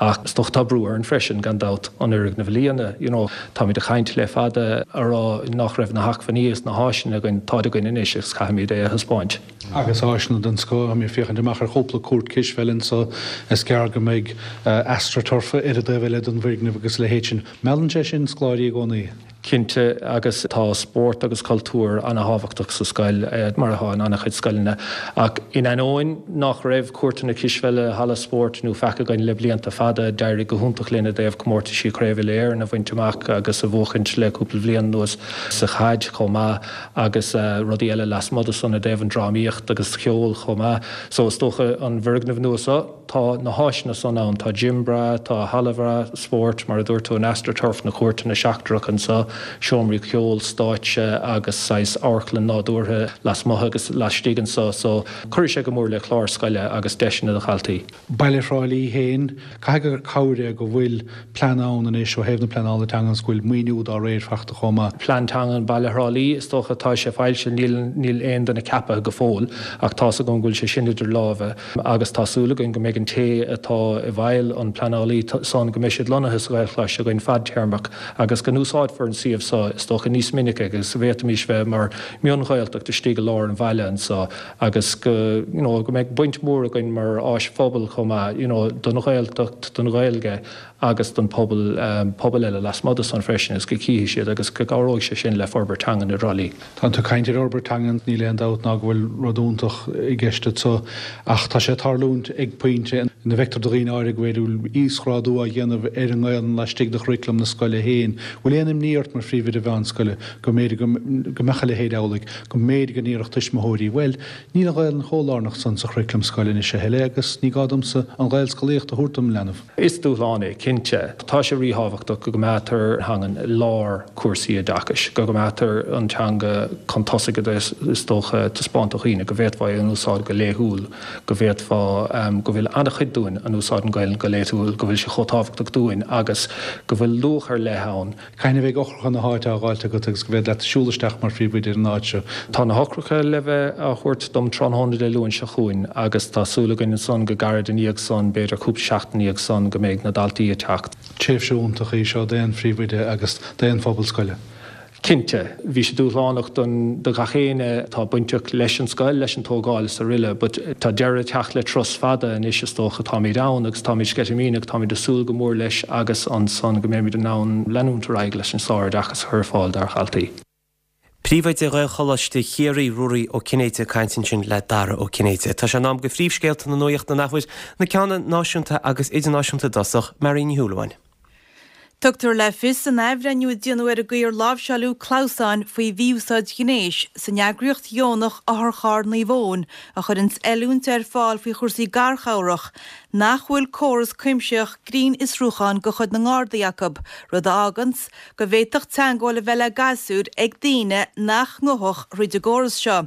Ach is dócha tá brú orainn freisin, gan dabht, an fhoirgneamh a líonadh. You know, táimid ag caint le fada a rá nach raibh na hacmhainní is na háiseanna againn, táid againn anois agus caithfimid é a thaispeáint. Agus áiseanna den scoth, táim ag féachaint amach ar chúpla cúirt cispheile anseo, is gearr go mbeidh astroturf ar an dtaobh eile den bhfoirgneamh agus a leithéid sin. Meallann sé sin scoláirí i gcónaí. Cinnte, agus tá spórt agus cultúr ana-thábhachtach sa scoil, mar atá in ana-chuid scoileanna. Ach in ainneoin nach raibh cúirteanna cispheile, halla spóirt nó faic againn le blianta fada, d'éirigh go hiontach linn i dtaobh comórtaisí Chraobh Uile-Éireann a bhaint amach agus a bhuachaint le cúpla bhliain anuas sa chaid chomh maith agus rudaí eile lasmuigh de san i dtaobh an drámaíocht agus cheol chomh maith. So is dócha an bhfoirgneamh nua seo, Tá na háiseanna san ann. Tá gym breá, tá halla bhreá spóirt, mar a dúirt tú, an astroturf, na cúirteanna seachtracha anseo, seomraí ceoil, stáitse agus saghas amharclann nádúrtha lasmuigh agus laistigh anseo. So, cuirfidh sé go mór le clár scoile agus deiseanna do dhaltaí. Baile Thrá Lí féin, caithfidh gur cabhair é go bhfuil plean ann anois ó thaobh na pleanála teanga agus go bhfuil maoiniú dá réir fachta chomh maith. Plean teanga Baile Thrá Lí, is dócha, tá sé foilsithe, níl, níl aon duine ceaptha go fóill ach tá's agam go bhfuil sé sin idir lámha. agus tá súil againn go mbeidh an té atá i bhfeighil an pleanálaí san, go mbeidh siad lonnaithe sa Ghaelcholáiste againn fadtéarmach agus go n-úsáidfear an suíomh so, is dócha, níos minice agus go bhféadfaimis bheith mar mhion-Ghaeltacht istigh i lár an bhaile anso agus go, you know, go mbeidh baint mhór againn mar áis phobail chomh maith, you know, don Ghaeltacht, don Ghaeilge agus don pobal, pobail eile lasmuigh de san freisin agus go gcífidh siad agus go gcabhróidh sé sin le forbairt teangan i dTrá Lí. Tá tú ag caint ar fhorbairt teangan, níl aon dabht ná go bhfuil rud iontach i gceist anso ach tá sé ag tarlúint ag pointe ina bhfeictear do dhaoine áirithe go bhfuil íosghrádú á dhéanamh ar an nGaelainn laistigh de churaclam na scoile féin. Bhfuil aon imní ort mar phríomhoide mheánscoile go mb'fhéidir go mbeadh a leithéid amhlaidh, go mb'fhéidir go ndéarfadh tuismitheoirí, bhuel, níl an Ghaelainn chomh lárnach san sa churaclam scoile anois a thuilleadh agus ní gá domsa an Ghaelscolaíocht a thabhairt dom leanbh. Is dúshlán é, cinnte. Tá sé ríthábhachtach go gcoimeádtar an teangain i lár cúrsaí oideachais, go gcoimeádtar an teanga chun tosaigh is dócha, taispeáint do dhaoine go bhféadfá é a úsáid go laethúil, go bhféadfá, go bhfuil an-chuid dúinn a úsáideann Gaelainn go laethúil, go bhfuil sé chomh tábhachtach dúinn agus go bhfuil luach ar leith ann. Cathain a bheidh eochracha na háite á dháileadh agat agus go bhféadfar leat siúl isteach mar phríomhoide ar an áit seo? Tá na heochracha le bheith á thabhairt dom tráthnóna Dé Luain seo chugainn agus tá súil againn ansan go gairid ina dhiaidh san, b'fhéidir cúpla seachtain ina dhiaidh san, go mbeidh na daltaí ag teacht. Tréimhse iontach í seo d'aon phríomhoide agus d'aon phobal scoile. Cinnte, bhí sé dúshlánach don do ghach éinne atá bainteach leis an scoil, leis an tógáil is aroile but tá deireadh ag teacht le turas fada anois is dócha, táimid ann agus táimid sceitimíneach, táimid ag súil go mór leis agus ansan go mbeimid in ann leanúint ar aghaidh leis an sároideachas a chur ar fáil dár dhaltaí. Príomhoide Ghaelcholáiste Chiarraí, Ruairí Ó Cinnéide ag caint ansin le Dara Ó Cinnéide. Tá sé in am do phríomhscéalta na nuachta an athuair, na ceanna náisiúnta agus idirnáisiúnta i dtosach, Marion Ní Shúilleabháin. Tugtar le fios san athbhreithniú a déanadh ar an gcaoi ar láimhseáileadh clamhsáin faoi mhí-úsáid ghnéis san eagraíocht dheonach Otharcharr Naomh Eoin a chuireanns oiliúint ar fáil faoi chúrsaí garchabhrach nach bhfuil córas cuimsitheach grinnfhiosrúcháin de chuid na nGardaí acu, rud a fháganns go bhféadfadh teangmháil a bheith le gasúir ag daoine nach ngabhfadh thríd an gcóras seo.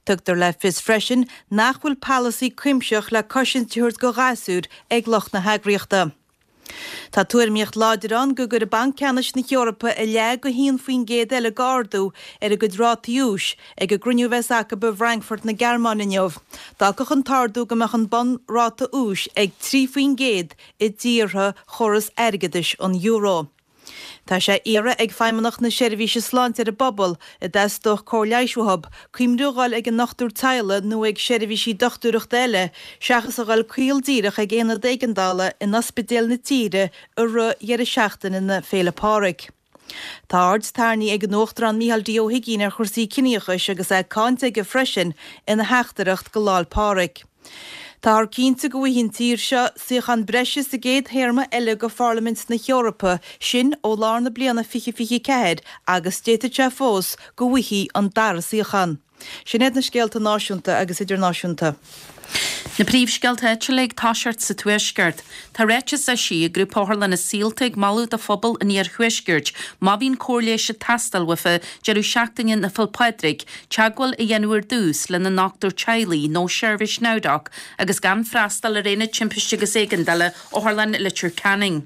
Tugtar le fios freisin nach bhfuil polasaí cuimsitheach le cosaint a thabhairt do ghasúir ag lucht na heagraíochta. Tá tuairimíocht láidir ann go gcuirfidh Banc Ceannais na hEorpa a leath go 1% eile d'ardú ar a gcuid rátaí úis ag an gcruinniú a bheas acu i bhFrankfurt na Gearmáine inniu. D'fhágfadh an t-ardú go mbeadh an bunráta úis ag 3% i dtíortha chóras airgeadais an euro. Tá sé iarrtha ag Feidhmeannacht na Seirbhíse Sláinte ar an bpobal, a dteastódh cóir leighis uathu, cuimhniú a dhul ag an ndochtúir teaghlaigh nó ag seirbhísí dochtúireachta eile seachas a dhul caol díreach ag aonad éigeandála in ospidéil na tíre i rith dheireadh seachtaine na Féile Pádraig. Tá aird tarraingthe ag an Uachtarán Micheál D. Ó hUigínn ar chúrsaí ciníochais agus é ag cáint aige freisin ina theachtaireacht go Lá'l Pádraig. Táthar cinnte go bhfaighidh an tír seo suíochán breise sa gcéad théarma eile de Pharlaimint na hEorpa, sin ó lár na bliana 2024 agus d'fhéadfadh sé fós go bhfaighfí an dara suíochán. Sin iad na scéalta náisiúnta agus idirnáisiúnta. Na príomhscéalta áitiúla ag toiseacht sa Tuaisceart. Tá ráiteas eisithe ag Grúpa Otharlanna Saolta ag moladh do phobal an Iarthuaiscirt má bhíonn cóir leighis ag teastáil uafa deireadh seachtaine na Féil' Pádraig, teagmháil a dhéanamh ar dtús lena ndochtúir teaghlaigh nó seirbhís NowDoc agus gan freastal ar Aonad Timpiste agus Éigeandála Otharlann Leitir Ceanainn.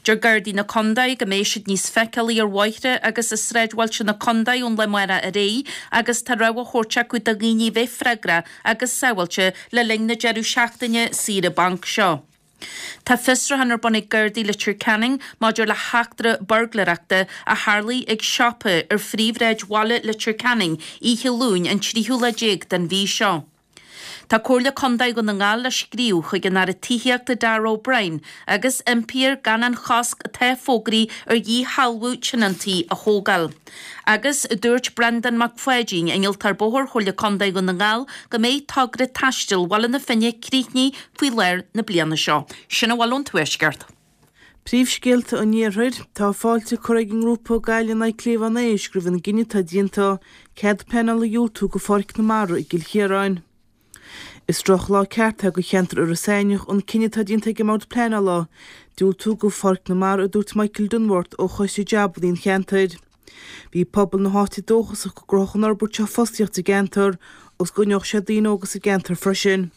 Deir Gardaí na Condae go mbeidh siad níos feiceálaí ar bhóithre agus i sráidbhailte na condae ón lá amárach ar aghaidh agus tá rabhadh á thabhairt acu do dhaoine a bheith freagrach agus sábháilte le linn na deireadh seachtaine saoire bainc seo. Tá fiosrúchán ar bun ag Gardaí Leitir Ceanainn maidir le heachtra buirgléireachta a tharlaigh ag siopa ar phríomhshráid bhaile Leitir Ceanainn oíche Luain an tríú lá déag den mhí seo. Tá Comhairle Contae Dhún na nGall le scríobh chuig an Aire Tithíochta Darragh O'Brien agus impí air gan an chosc atá fógraithe ar dhíshealbhú tionóntaí a thógáil. Agus dúirt Breandán Mac Pháidín, Innealtóir Bóthair Chomhairle Contae Dhún na nGall go mbeidh togra taistil Bhaile na Finne críochnaithe faoi lár na bliana seo. Sin a bhfuil ón Tuaisceart. Príomhscéalta an Iarthair, Tá fáilte curtha ag an ngrúpa Gaillimh in aghaidh Cliabhán Éisc roimh an gcinneadh atá déanta cead pleanála a dhiúltú go Pháirc na Mara i gCill Chiaráin. Is drochlá ceart é go cheantar Iorras Aithneach an cinneadh atá déanta ag an mBord Pleanála diúltú go Pháirc na Mara a dúirt Michael Dunworth ó Choiste Jabanna an cheantair. Bhí pobal na háite dóchasach go gcruthódh an fhorbairt seo fostaíocht sa gceantar agus go gcoinneodh sé daoine óga sa gceantar freisin.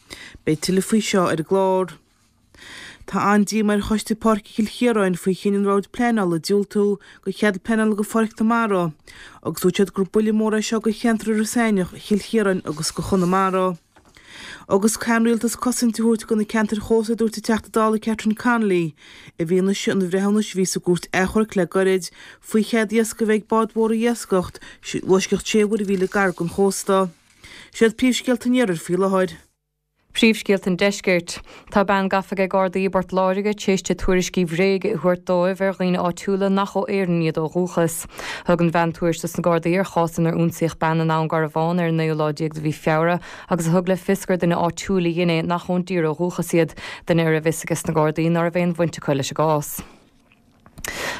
Beidh tuilleadh faoi seo ar an gclár. Tá an-díomá ar Choiste Páirce Chill Chiaráin faoi chinneadh an Bhoird Pleanála diúltú go chead pleanála go Pháirc na Mara agus dúirt siad gur buille mór é seo go cheantar Iorras Aithneach, Chill Chiaráin agus go Chonamara. Agus caithfidh an Rialtas cosaint a thabhairt go na ceantair chósta a dúirt an Teachta Dála Catherine Connolly i bhfianaise an bhreithiúnais a bhí sa gcúirt achomhairc le gairid faoi chead iascaigh a bheith ag báid mhóra a iascaireacht i bhfoisceacht sé mhuirmhíle gar don chósta. Siad príomhscéalta an iarthair faoi láthair. Príomhscéalta an Deiscirt. Tá bean gafa ag Gardaí i bPort Láirge tar éis di tuairiscí bhréige a thabhairt dóibh ar dhaoine áitiúla nach ó Éirinn iad ó dhúchas. Thug an bhean tuairisc dos na Gardaí ar chás inar ionsaíodh bean i nDún Garbhán ar an naoú lá déag de mhí Feabhra agus a thug le fios gur duine áitiúil a dhein é nach ón dtír ó dhúchas iad, duine a raibh fhios ages na Gardaí ná raibh aon bhaint acu leis an gcás.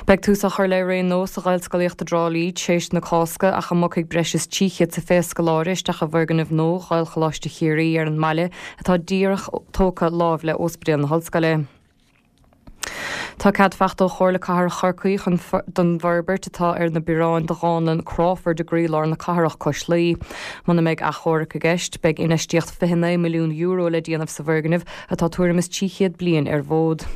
Beidh tús á chur le ré nua sa Ghaelscolaíocht i dTrá Lí tar éis na Cásca ach a mbogfaidh breis is 300 sa 20 scoláire isteach i bhfoirgneamh nua Ghaelcholáiste Chiarraí ar an mbaile atá díreach tógtha láimh le Ospidéal na hOllscoile. Tá cead faighte ó Chomhairle Cathrach Chorcaí chun don bhforbairt atá ar na bioráin do dhánlann Crawford i gcroílár na cathrach cois Laoi. Muna mbeidh achomharc i gceist, beidh infheistíocht €29 milliún le déanamh sa bhfoirgneamh atá tuairim is 300 bliain ar an bhfód.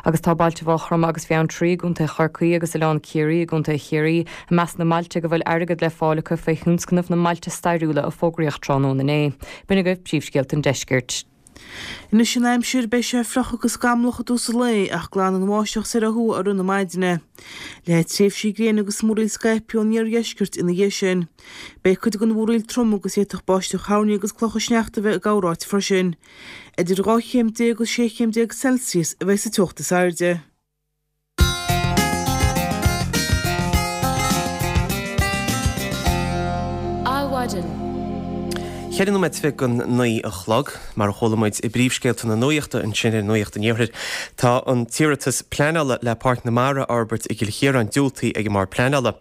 Agus tá bailte Mhaigh Chromtha agus Bheanntraí i gContae Chorcaí agus Oileán Ciarraí i gContae Chiarraí i measc na mbailte go bhfuil airgead le fáil acu faoi thionscnamh na mBailte Stairiúla a fógraíodh tráthnóna inné. B'in agaibh príomhscéalta an deiscirt. Anois an aimsir, beidh sé fliuch agus scamallach i dtús an lae ach glanfaidh an bháisteach soir ó thuaidh i rith na maidine. Leathfaidh tréimhsí gréine agus múraíl scaipthe ón iardheisceart ina dhiaidh sin. Beidh cuid den mhúraíl trom agus d'fhéadfadh báisteach thoirní agus clocha sneachta a bheith i gcorráit freisin. Idir 12 chéim agus 16 chéim Celsius a bheidh sa teocht is airde. Adhmhaidin. Cheithre nóiméad go 9 a chlog, mar a chuala muid i bpríomhscéalta na nuachta ansin ar Nuacht an Iarthair, tá an t-iarratas pleanála le Páirc na Mara a fhorbairt i gCill Chiaráin diúltaithe ag an mBord Pleanála.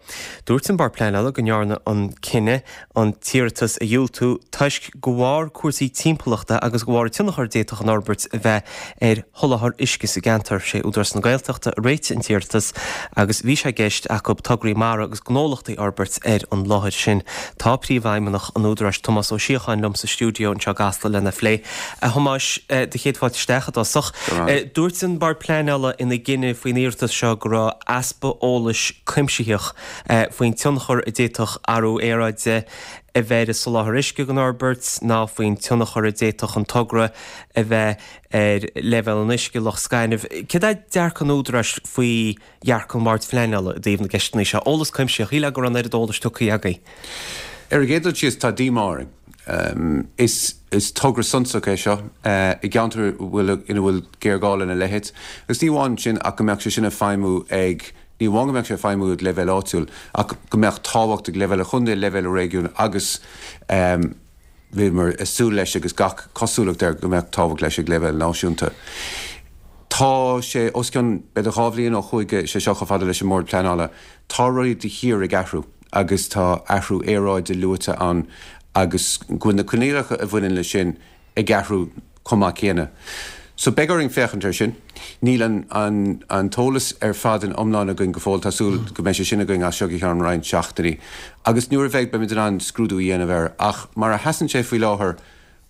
Dúirt an Bord Pleanála go ndearnadh an cinneadh an t-iarratas a dhiúltú toisc de bharr cúrsaí timpeallachta agus de bharr an tionchar a d'fhéadfadh an fhorbairt a bheith ar sholáthar uisce sa gceantar. Sé Údarás na Gaeltachta a réitigh an t-iarratas agus bhí sé i gceist acu tograí mara agus gnólachtaí a fhorbairt ar an láthair sin. Tá Príomhfheidhmeannach an Údaráis, Tomás Ó Síocháin liom sa stiúideo anseo i gCasla lena phlé. A Thomáis, do chéad fáilte isteach i dtosach. Dúirt an Bord Pleanála ina gcinneadh faoin iarratas seo go raibh easpa eolais cuimsitheach faoin tionchar a d'fhéadfadh athrú aeráide a bheith ar an soláthar uisce don fhorbairt ná faoin tionchar a d'fhéadfadh an togra a bheith ar leibhéal an uisce i Loch Scainnimh. Céard é dearcadh an Údaráis faoi dhearcadh an Bhoird Phleanála i dtaobh na gceisteanna seo? Eolas cuimsitheach, shílfeá go raibh an oiread eolais tugtha agaibh. Ar an gcéad dul síos, tá díomá orainn. Is togra suntasach é seo i gceantar ina bhfuil géarghá lena leithéid. Agus ní amháin sin ach go mbeadh sé sin ag feidhmiú ag Ní amháin go mbeadh sé ag feidhmiú ag leibhéal áitiúil, ach go mbeadh tábhacht ag leibhéal an chontae, leibhéal an réigiúin agus bhíomar ag súil leis agus gach cosúlacht air go mbeadh tábhacht leis ag leibhéal náisiúnta. Tá sé os cionn b'fhéidir 2 bhliain ó chuaigh sé seo chomh fada leis an mBord Pleanála. Tá rudaí de shíor ag athrú agus tá athrú aeráide luaite ann agus go bhfuil na coinníollacha a bhaineann leis sin ag athrú chomh maith céanna. So beidh orainn féachaint air sin. Níl an an an t-eolas ar fad in iomlán againn go fóill. Tá súil go mbeidh sé sin againn as seo go ceann roinnt seachtainí. Agus nuair a bheidh, beimid in ann scrúdú a dhéanamh air. Ach mar a sheasann sé faoi láthair,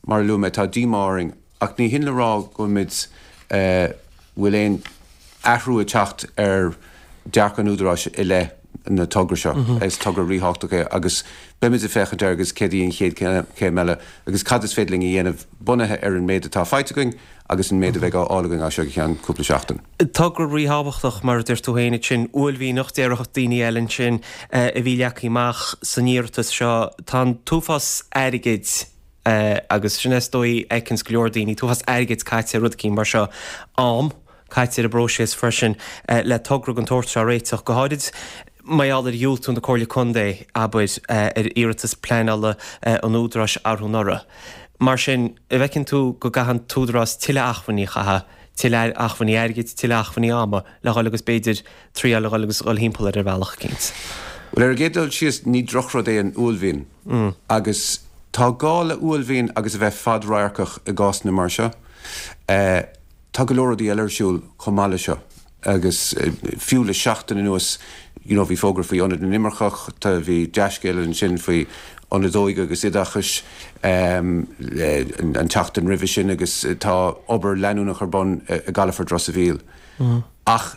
mar a luaigh mé, tá díomá orainn. Ach ní hin le rá go bhfuilimid, eh, bhfuil aon athrú ag teacht ar dearcadh an Údaráis i leith na togra seo. Is togra ríthábhachtach é agus beimid ag féachaint air agus céard í an chéad chéim eile agus cad is féidir linn a dhéanamh bunaithe ar an méid atá faighte againn agus an méid a bheidh á fháil againn as seo go ceann cúpla seachtain. Togra ríthábhachtach, mar a dúirt tú féin ansin, uaillmhianach, déarfadh daoine eile ansin, a bhí leagtha amach san iarratas seo. Tá an t-uafás airgid. Agus sin é is dóigh a fheiceanns go leor daoine, an t-uafás airgid caite ar rud eicínt mar seo, am caite ar an bpróiseas freisin le togra den tsórt seo a réiteach, go háirid mar gheall ar dhiúltú na Comhairle Contae, abair, ar iarratas pleanála an Údaráis arú anuraidh. Mar sin, an bhfeiceann tú go gcaithfidh an tÚdarás tuilleadh acmhainní a chaitheamh, tuilleadh acmhainní airgid, tuilleadh acmhainní ama le dhul agus b'fhéidir triáil a dhul agus dhul thimpeall air ar bhealach eicínt? Bhuel, ar an gcéad dul síos, ní drochrud é an uaillmhian. Agus tá gá le uaillmhian agus a bheith fad-radharcach i gcásanna mar seo. Tá go leor rudaí eile ar siúl chomh maith le seo agus fiú le seachtain anuas you know bhí fógra faoi Ionad na nImirceach, tá, bhí dea-scéal ansin faoi Ionad Óige agus Oideachais an tseachtain roimhe sin agus tá obair leanúnach ar bun i gcalafort Ros a' Mhíl. Ach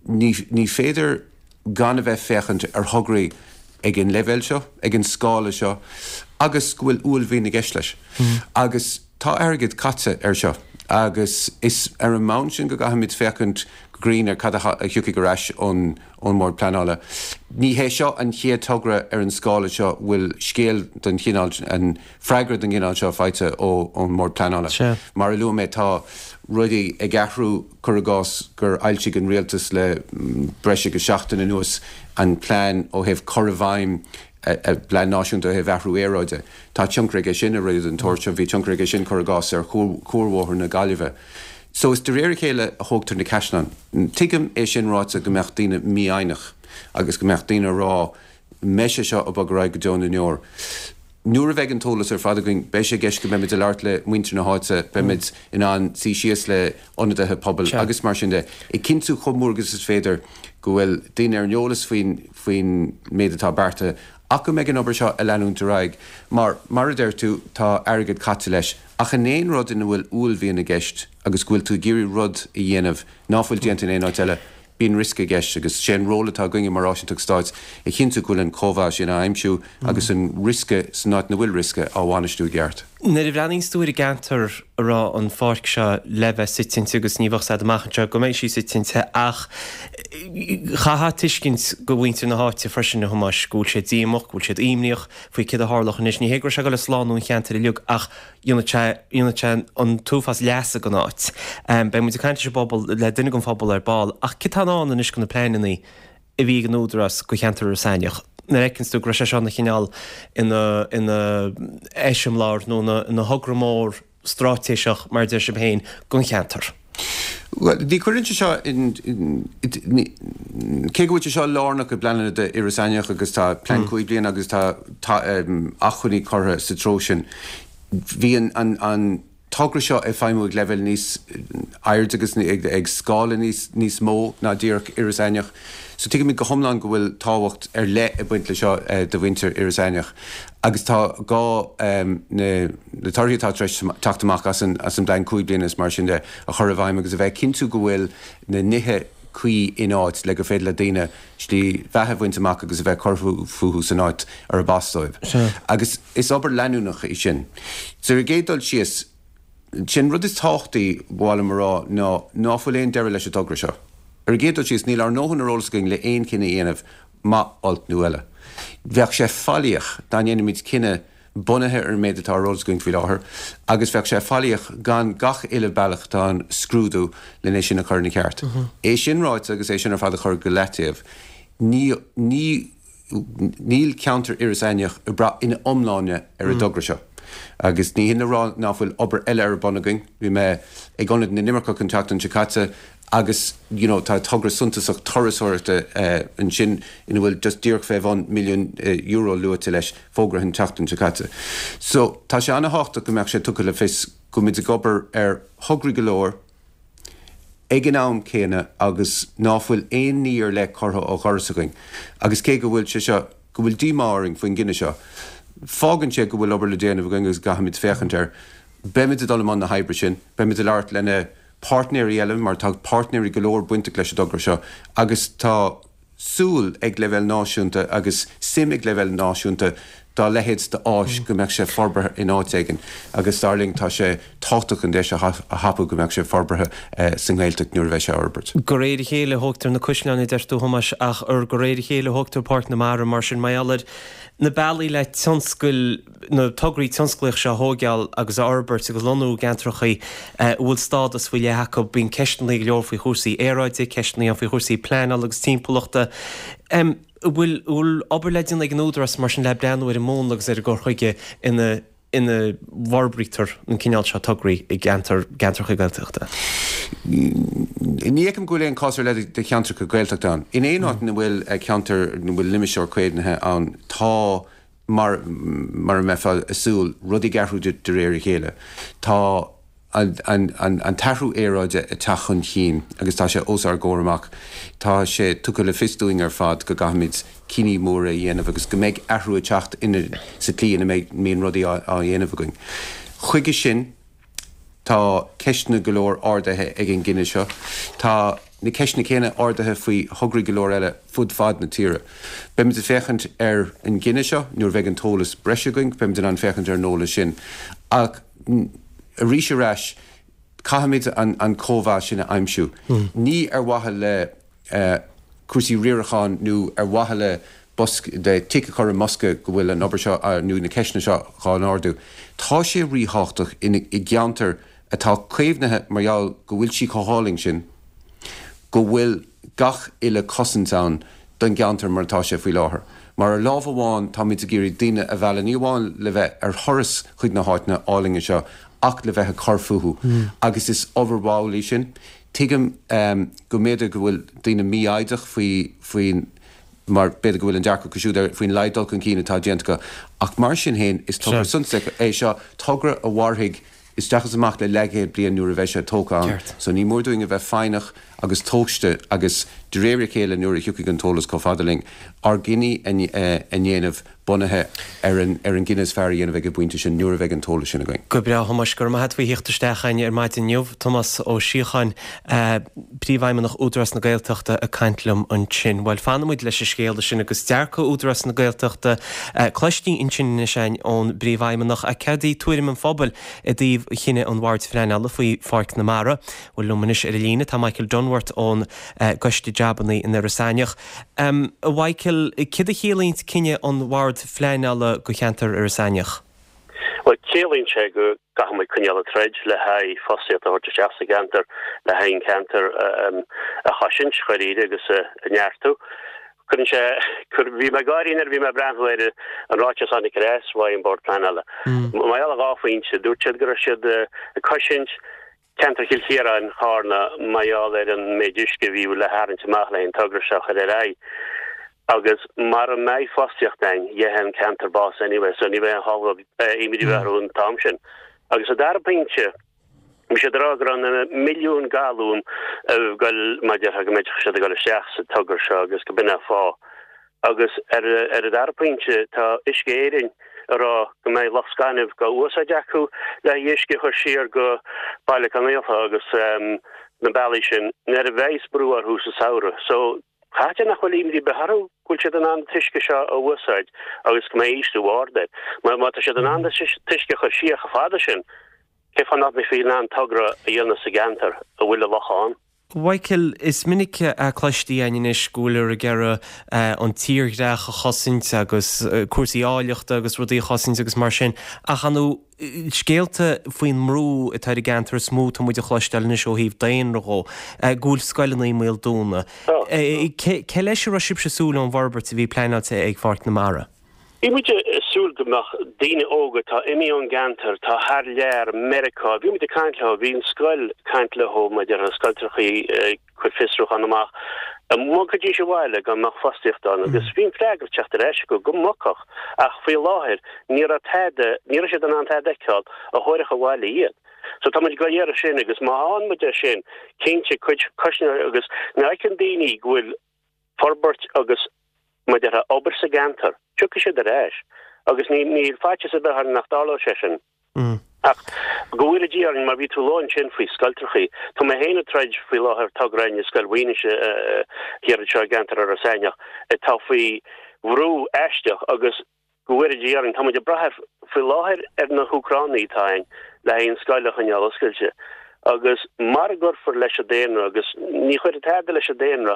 ní, ní féidir gan a bheith féachaint ar thograí ag an leibhéal seo, ag an scála seo agus go bhfuil uaillmhian i gceist leis. Agus tá airgead caite air seo agus is ar an mbonn sin go gcaithfimid féachaint go grinn ar cad a thiocfaidh ar ais ón ón mBord Pleanála. Ní hé seo an chéad togra ar an scála seo bhfuil scéal den chineál, an freagra den gcineál seo faighte ón mBord Pleanála. Mar a luaigh mé tá rudaí ag athrú. Cuir i gcás gur fhoilsigh an Rialtas le breis agus seachtain anuas an plean ó thaobh cur i bhfeidhm a bplean náisiúnta ó thaobh athrú aeráide. Tá tionchar aige sin ar rudaí den tsórt seo. Bhí tionchar aige sin, cuir i gcás, ar Chuarbhóthar na Gaillimhe. So is de réir a chéile a thógtar na caisleáin. Tuigim, é sin ráite, go mbeadh daoine mífhoighneach agus go mbeadh daoine ag rá, mbeidh sé seo ag bogadh ar aghaidh go deo na ndeor. Nuair a bheidh an t-eolas ar fad againn, beidh sé i gceist go mbeimid ag labhairt le muintir na háite, beimid in ann suí síos le ionadaithe pobail agus mar sin de, ag cinntiú chomh mór agus is féidir go bhfuil daoine ar an eolas faoin faoin méid atá beartaithe ach go mbeidh an obair seo ag leanúint ar aghaidh mar, mar a deir tú, tá airgead caite leis. Ach in aon rud ina bhfuil uaillmhian i gceist agus go bhfuil tú ag iarraidh rud a dhéanamh ná fuil déanta in aon áit eile, Bíonn riosca i gceist agus sé an ról atá againne mar áisinteacht stáit a chinntiú go bhfuil an cóimheá sin á aimsiú agus an riosca san áit ina bhfuil riosca á bhainistiú i gceart. Nuair a bhreathnaíonns tú ar an gceantar a raibh an pháirc seo le bheith suite inti agus ní bheadh a fhios a'd amach anseo go mbeidh sí suite inti ach chaithfeá tuiscint go mhuintir na háite freisin a Thomáis go bhfuil siad díomach, go bhfuil siad imníoch faoi céard a tharlódh anois. Ní hé go raibh sé ag dul ag slánú an cheantair uilig ach dhéanfadh sé, dhéanfadh sé an t-uafás leasa don áit. Beidh muid ag caint leis an bpobal, le duine den phobal ar ball, ach céard atá i ndán anois do na pleananna a bhí ag an Údarás do cheantar Iorras Aithneach? Nuair a fheiceanns tú go raibh sé seo ina chineál, ina, ina eiseamláir nó ina, ina thogra mór straitéiseach, mar a deir sibh féin, don cheantar. Bhuel, ní chuireann sé seo in, ní, cé go bhfuil sé seo lárnach i bpleananna d'Iorras Aithneach agus tá plean 5 bliana agus tá, tá acmhainní curtha sa treo sin, bhí an, an, an togra seo ag feidhmiú ag leibhéal níos airde agus ag, ag scála níos, níos mó ná díreach Iorras Aithneach. So tuigimid go hiomlán go bhfuil tábhacht ar leith ag baint le seo do mhuintir Iorras Aithneach agus tá gá na na torthaí atá tar éis teacht amach as an as an bplean 5 bliana is mar sin de a chur i bhfeidhm agus a bheith ag cinntiú go bhfuil na nithe cuí in áit le gur féidir le daoine slí bheatha a bhaint amach agus a bheith ag cur fúthu san áit arb as dóibh. Agus is obair leanúnach í sin. So ar an gcéad dul síos, sé an rud is tábhachtaí ba mhaith liom a rá ná ná fuil aon deireadh leis an dtogra seo. Ar an gcéad dul síos, níl ár ndóthain ar eolas againn le aon chinneadh a dhéanamh, maith, olc nó eile. Bheadh sé faillíoch dá ndéanfaimid cinneadh bunaithe ar an méid atá ar eolas againn faoi láthair, agus bheadh sé faillíoch gan gach uile bealach atá ann a scrúdú len é sin a chur ina cheart. É sin ráite agus é sin ar fad a chur go leataobh, ní, ní, níl ceantar Iorras Aithneach ag brath ina iomláine ar an dtogra seo. Agus ní hin le rá ná fuil obair eile ar bun againn. Bhí mé ag Ionad na nImirceach an tseachtain seo caite Agus you know tá togra suntasach turasóireachta ansin ina bhfuil just díreach fé bhun milliún euro luaite leis, fógraithe an tseachtain seo caite. So tá sé ana-thábhachtach go mbeadh sé tugtha le fios go bhfuil muid ag obair ar thograí go leor ag an am céanna agus ná fuil aon ní ar leith curtha ó dhoras againn. Agus cé go bhfuil sé seo, go bhfuil díomá orainn faoin gcinneadh seo, fágann sé go bhfuil obair le déanamh againn agus go gcaithfimid féachaint air. Beimid ag dul i mbun na hoibre sin, beimid ag labhairt lena páirtnéirí eile, mar tá páirtnéirí go leor bainteach leis an dtogra seo agus tá súil ag leibhéal náisiúnta agus suim ag leibhéal náisiúnta. dá leithéid d'áis go mbeadh sé forbartha in áit éigin agus dar linn tá sé tábhachtach an deis a thapú go mbeadh sé forbartha sa nGaeltacht nuair a bheidh sé á fhorbairt. De réir a chéile a thógtar na caisleáin a deir tú, a Thomáis, ach ar de réir a chéile a thógtar Páirc na Mara mar sin mar gheall ar na bealaí le tionscail, na tograí tionsclaíoch seo a thóigeáil agus a fhorbairt agus lonnú i gceantrachaí a bhfuil stádas faoi leith acu. Bíonn ceisteanna go leor faoi chúrsaí aeráide, ceisteanna ann faoi chúrsaí pleanála agus timpeallachta. An bhfuil obair le déanamh ag an Údarás mar sin le breathnú ar an múnla agus ar an gcur chuige ina ina bhforbraítear an cineál seo tograí i gceantar, gceantracha Gaeltachta? Ní fheicim go bhfuil aon chás ar leith de cheantracha Gaeltachta ann. In aon áit ina bhfuil ceantar, ina bhfuil limistéar caomhnaithe ann, tá, mar mar a mbeifeá ag súil, rudaí ag athrú de réir a chéile. Tá an t-athrú aeráide ag teacht chun cinn agus tá sé os ár gcomhair amach. Tá sé tugtha le fios dúinn ar fad go gcaithfimid cinní móra a dhéanamh agus go mbeidh athrú ag teacht sa tslí ina mbíonn rudaí á dhéanamh againn. Chuige sin, Tá ceisteanna go leor ardaithe ag an gcinneadh seo. Tá na ceisteanna céanna ardaithe faoi thograí go leor eile fud fad na tíre. Beimid ag féachaint ar an gcinneadh seo nuair a bheidh an t-eolas breise againn, beimid in ann féachaint ar an eolas sin. Ach arís ar ais, caithfimid an cóimheas sin a aimsiú. Ní ar mhaithe le. cúrsaí riaracháin nó ar mhaithe le bosca, le tic a chur i mbosca go bhfuil an obair seo nó na ceisteanna seo dhá n-ardú. Tá sé ríthábhachtach i gceantar atá caomhnaithe mar gheall go bhfuil sí chomh hálainn sin, go bhfuil gach uile cosaint ann don gceantar mar atá sé faoi láthair. Mar ar lámh amháin táimid ag iarraidh daoine a mhealladh ní amháin le bheith ar thuras chuig na háiteanna álainne seo ach le bheith ag cur fúthu agus is obair mhall í sin. Tuigim go mb'fhéidir go bhfuil daoine mífhoighdeach faoi, faoin, mar b'fhéidir go bhfuil an dearcadh acu siúd ar, faoin laghad dul chun cinn atá déanta acu. Ach mar sin féin, is togra suntasach é seo, togra a mhairfidh isteach is amach le leathchéad bliain nuair a bheidh sé tógtha ann. So ní mór dúinn a bheith foighneach agus tomhaiste agus de réir a chéile nuair a thiocfaidh an t-eolas chomh fada linn, ár gcinní a ndéanamh. bunaithe ar an ar an gcinneadh is fearr a dhéanamh ag an bpointe sin nuair a bheidh an t-eolas sin againn. Go breá, a Thomáis. Go raibh maith a't faoi thíocht isteach a'inn ar maidin inniu. Tomás Ó Síocháin, Príomhfheidhmeannach Údarás na Gaeltachta ag caint liom ansin. Bhuel, fanfaidh muid leis an scéala sin agus dearcadh Údarás na Gaeltachta cloiste ansin anois a'inn ón bPríomhfheidhmeannach. Ach céard í tuairim an phobail i dtaobh chinneadh an Bhoird Phleanála faoi Pháirc na Mara? Bhuel, liom anois ar an líne tá Michael Dunworth ón gCoiste Jabannaí in Iorras Aithneach. A Mhichael, céard a chiallaíonns cinneadh an Bhoird Phleanála do cheantar Iorras Aithneach? Bhuel, ciallaíonn sé go gcaithfidh muid coinneáil ag troid le haghaidh fostaíocht a thabhairt isteach sa gceantar, le haghaidh an ceantar a chosaint, dháiríre, agus a neartú. Cuireann sé, bhí mé ag gáirí nuair a bhí mé ag breathnú ar an ráiteas a tháinig ar ais uaidh an Bord Pleanála. Mar gheall ar dhá phointe, dúirt siad go raibh siad ag cosaint Ceantar Chill Chiaráin, Charna, mar gheall ar an méid uisce a bhí le tharraingt amach le an togra seo a chur ar aghaidh. Agus mara mbeidh fostaíocht ann, gheobhaidh an ceantar bás anyway, so ní bheidh aon chall imní a bheith orthu an t-am sin. Agus an dara pointe, bhí siad ag rá go raibh na milliúin galún ag goil, mar a déarfá, go mbeidh siad ag goil isteach sa togra seo agus go b'in an fáth. Agus ar an dara pointe, tá Uisce Éireann ag rá go mbeidh loch gainimh dhá úsáid acu le haghaidh uisce a chur siar go Baile Conaola agus na bealaí sin nuair a bheidhs brú orthu sa samhradh. So, caithfidh nach bhfuil imní ar bith orthu go bhfuil siad in ann an t-uisce seo a úsáid agus go mbeidh ísliú ard air. Mar má tá siad in ann an t-uisce a chur siar chomh fada sin, cén fáth nach mbeifí in ann togra a dhéanamh sa gceantar a bhfuil an loch ann? Mhichael, is minic a cloistí againn anois go bhfuiltear ag iarraidh an tírdhreach a chosaint agus cúrsaí áilleachta agus rudaí a chosaint agus mar sin, ach ar ndóigh scéalta faoin mbrú atá ar an gceantar is mó atá muid a chloisteáil anois ó thaobh daonra dhó, go bhfuil scoileanna i mbaol dúnadh. Cé leis a raibh sibhse ag súil ón bhforbairt a bhí pleanáilte ag Pháirc na Mara? Bhí muid ag súil go mbeadh daoine óga atá imithe ón gceantar, atá thar lear, Meiriceá, bhí muid ag caint leo, bhí an scoil ag caint leo, maidir le scoilteachaí ag cur fiosrúchán amach, an mbogfaidís abhaile dá mbeadh fostaíocht ann agus bhí an freagra ag teacht ar ais acu go mbogfadh ach faoi láthair ní raibh tada, ní raibh siad in ann tada a fheiceáil a thabharfadh abhaile iad. So tá muid ag dul iarraidh sin agus má fhaigheann muid é sin, cinnte, cuid coisneoir agus nuair a fheiceann daoine go bhfuil forbairt agus mar a déarfá obair sa gceantar, tiocfaidh siad ar ais agus ní níl faitíos ar bith orainn nach dtarlóidh sé sin. Ach go bhfóire Dia orainn, mar bhí tú ag lua ansin faoi scoilteachaí, tá mé féin ag troid faoi láthair togra againn i Scoil Mhaoinis thiar anseo i gceantar Iorras Aithneach atá faoi bhrú aisteach agus. Go bhfóire Dia orainn, tá muid ag brath faoi láthair ar na hÚcránaigh atá againn le haghaidh an scoil a choinneáil oscailte. Agus mara gcuirfear leis an daonra, agus ní chuirfidh tada leis an daonra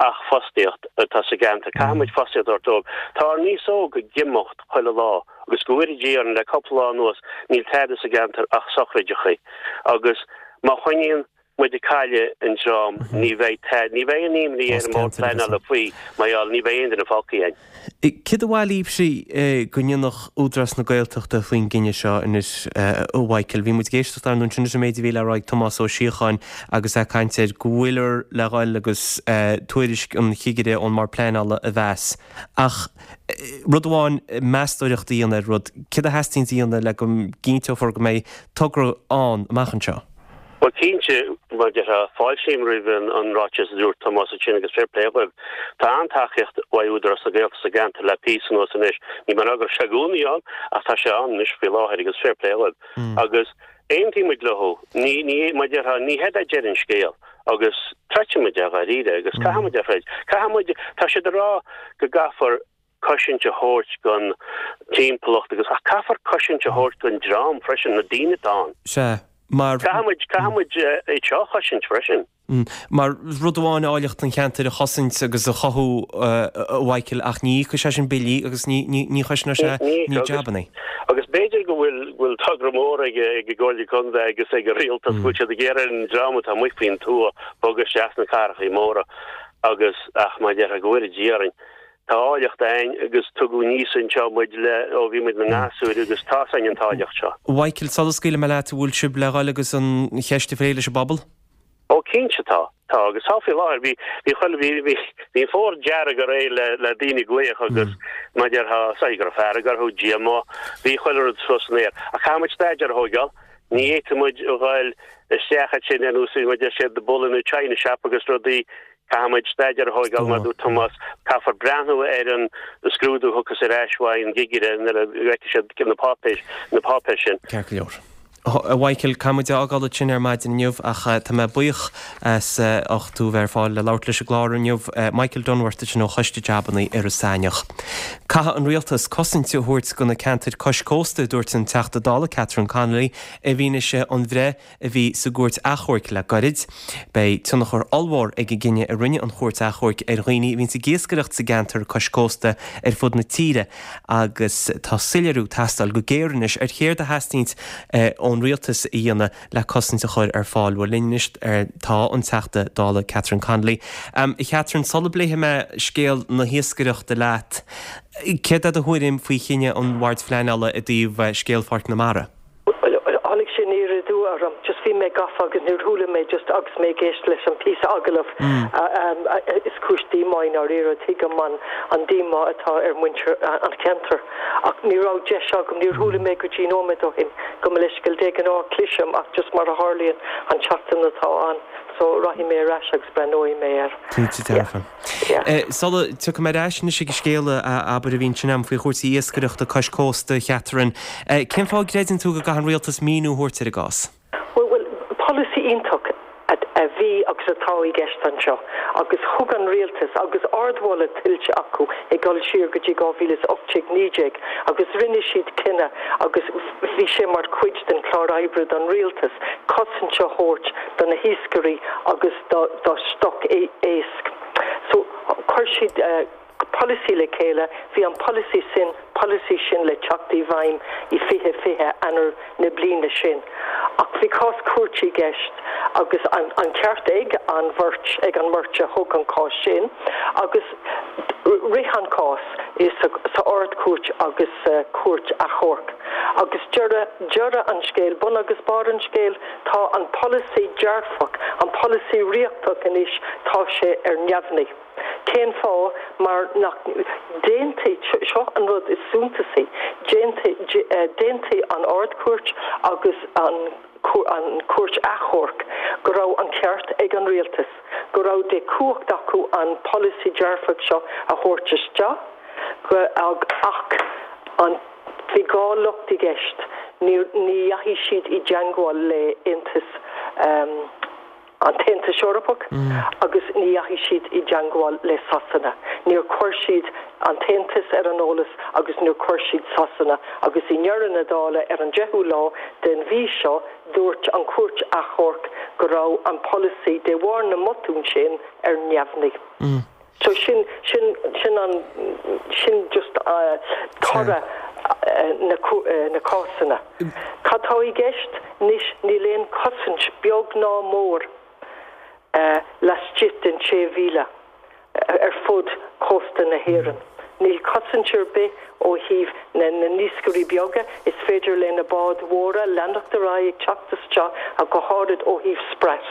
ach fostaíocht atá sa gceantar, caithfidh muid fostaíocht a thabhairt dóibh. Tá ár n-aos óg ag imeacht chuile lá agus go bhfóire Dia orainn le cúpla lá anuas níl tada sa gceantar ach sochraideachaí. Agus má choinníonn muid ag cailleadh an dream, ní bheidh tada, ní bheidh aon imní ar an mBord Pleanála faoi mar gheall, ní bheidh aon duine fágtha againn. Céard ba mhaith libhse go ndéanfadh Údarás na Gaeltachta faoin gcinneadh seo anois, a Mhichael? Bhí muid ag éisteacht ar ndóigh ansin leis an méid a bhí le rá ag Tomás Ó Síocháin agus é ag caint ar go bhfuilear le dhul agus tuairisc an chigire ón mBord Pleanála a mheas. Ach rud amháin meastóireacht a dhéanamh ar rud, céard a theastaíonns a dhéanamh le go gcinnteofar go mbeidh togra ann amach anseo? Bhuel, cinnte, mar a déarfá, fáiltím roimh an ráiteas a dúirt Tomás ansin agus fair play dhóibh. Tá an-tacaíocht uaidh Údarás na Gaeltachta sa gceantar le píosa anuas anois. Ní mar go raibh sé i gcónaí ann ach tá sé ann anois faoi láthair agus fair play dhóibh. Agus aontaíonn muid leo. Ní, ní, mar a déarfá, ní hé deireadh an scéil agus troidfidh muid é dháiríre agus caithfidh muid é a throid. Caithfidh muid, tá siad ag rá go gcaithfear cosaint a thabhairt don timpeallacht agus, ach caithfear cosaint a thabhairt don dream freisin, na daoine atá ann. Sea, mar. Caithfidh muid, caithfidh muid iad seo a chosaint freisin. Mar rud amháin áilleacht an cheantair a chosaint agus a chothú, a Mhichael, ach ní íocfaidh sé sin billí agus ní, ní, ní choisneoidh sé Ní, ní jabannaí. Agus b'fhéidir go bhfuil, go bhfuil togra mór ag, ag an gComhairle Contae agus ag an Rialtas, go bhfuil siad ag iarraidh an dream atá amuigh faoin tuath bogadh isteach sna cathrachaí móra agus, ach mar a déarfá, go bhfóire Dia orainn. Tá áilleacht a'ainn agus tugadh aníos anseo muid le ó bhí muid ina ngasúir agus tá's a'ainn an t-áilleacht seo. Mhichael, sula scaoilfidh mé leat, an bhfuil sibh le dhul agus an cheist a phlé leis an bpobal? Ó cinnte tá, tá agus tá faoi láthair. Bhí, bhí chuile, bhí, bhí, bhí an fómhar dearg aréir le, le daoine ag glaoch agus mar a déarfá, is dóigh go raibh fearg orthu, díomá, bhí chuile rud suas san aer. Ach caithfidh muid staidéar a thóigeáil, ní fhéadfaidh muid a dhul isteach ansin ar nós, mar a deir siad, the bull in a china shop agus rudaí Caithfidh muid staidéar a thóigeáil, mar a dúirt Tomás, caithfear breathnú ar an scrúdú a thiocfas ar ais uaidh an gcigire nuair a fheicfidh siad na páipéir, na páipéir sin. Ceart go leor. A Mhichael, caithfidh muid a fhágáil ansin ar maidin inniu ach tá mé buíoch as ucht tú a bheith ar fáil le labhairt leis an gclár inniu. Michael Dunworth ansin ó Choiste Jabannaí Iorras Aithneach. Caithfidh an Rialtas cosaint a thabhairt do na ceantair cois cósta, a dúirt an Teachta Dála Catherine Connolly i bhfianaise an bhreith a bhí sa gCúirt Achomhairc le gairid. Beidh tionchar ollmhór ag an gcinneadh a rinne an Chúirt Achomhairc ar dhaoine a bhíonns ag iascaireacht sa gceantar cois cósta ar fud na tíre agus tá soiléiriú ag teastáil go géar anois ar chéard a theastaíonns ón rialtas a dhéanamh le cosaint a chur ar fáil. Bhuel linn anois tá an Teachta Dála Catherine Connolly. A Chatherine, sula bpléifidh mé scéal na hiascaireachta leat, céard é do thuairim faoi chinneadh an Bhoird Phleanála i dtaobh scéal Pháirc na Mara? Bhuel, tháinig sé aniar aduaidh orm, just bhí mé gafa agus níor chuala mé just agus mé ag éisteacht leis an píosa agallamh, is cúis díomá i ndáiríre, tuigim an an díomá atá ar mhuintir an cheantair ach ní raibh deis agam, níor chuala mé go dtí nóiméad ó shin, gabh mo leithscéal de ghnáth cloisim ach just mar a tharlaíonn an tseachtain atá ann so rachaidh mé ar ais agus breathnóidh mé air. Cinnte dearfa. Sula dtiocfaidh mé ar ais anois ag an scéal a abair a bhí ansin agam faoi chúrsaí iascaireachta cois cósta, a Chatherine, cén fáth a gcreideann tú go gcaithfidh an rialtas míniú a thabhairt ar an gcás? Bhuel, polasaí iontach a bhí agus atá i gceist anseo agus thug an rialtas, agus ardmholadh tuillte acu ag dul siar go dtí 2018, 19 agus rinne siad cinneadh agus bhí sé mar chuid den chlár oibre don rialtas cosaint a thabhairt do na hiascairí agus do stoc éisc. So, chuir siad polasaí le chéile, bhí an polasaí sin, polasaí sin le teacht i bhfeidhm i 2020, Eanáir na bliana sin. Ach bhí cás cúirte i gceist agus an ceart ag an bheirt, ag an mbeirt a thug an cás sin agus rith an cás i sa Ard-Chúirt agus sa Chúirt Achomhairc. Agus deireadh, deireadh an scéil, bun agus barr an scéil, Tá an polasaí dearfach, an polasaí riachtach anois, tá sé ar neamhní. Cén fáth? Mar nach d'aontaigh, seo an rud is suntasaí, d'aontaigh an Ard-Chúirt agus an Chúirt Achomhairc go raibh an ceart ag an rialtas, go raibh de chumhacht acu an polasaí dearfach seo a thabhairt isteach, ach an. Bhí dhá locht i gceist, ní dheachaigh siad i dteangmháil le Aontas. An tAontas Eorpach agus ní dheachaigh siad i dteangmháil le Sasana. Níor chuir siad an tAontas ar an eolas agus níor chuir siad Sasana agus i ndeireadh na dála ar an deichiú lá den mhí seo dúirt an Chúirt Achomhairc go raibh an polasaí de bharr na mbotún sin ar neamhní. So sin, sin, sin an, sin just toradh na, na cásanna. Cad tá i gceist anois, níl aon chosaint beag ná mór laistigh den sé mhíle ar fud chósta na hÉireann. Níl cosaint ar bith ó thaobh na n-iascairí beaga, is féidir le na báid mhóra leanacht ar aghaidh ag teacht isteach ach go háirid ó thaobh sprat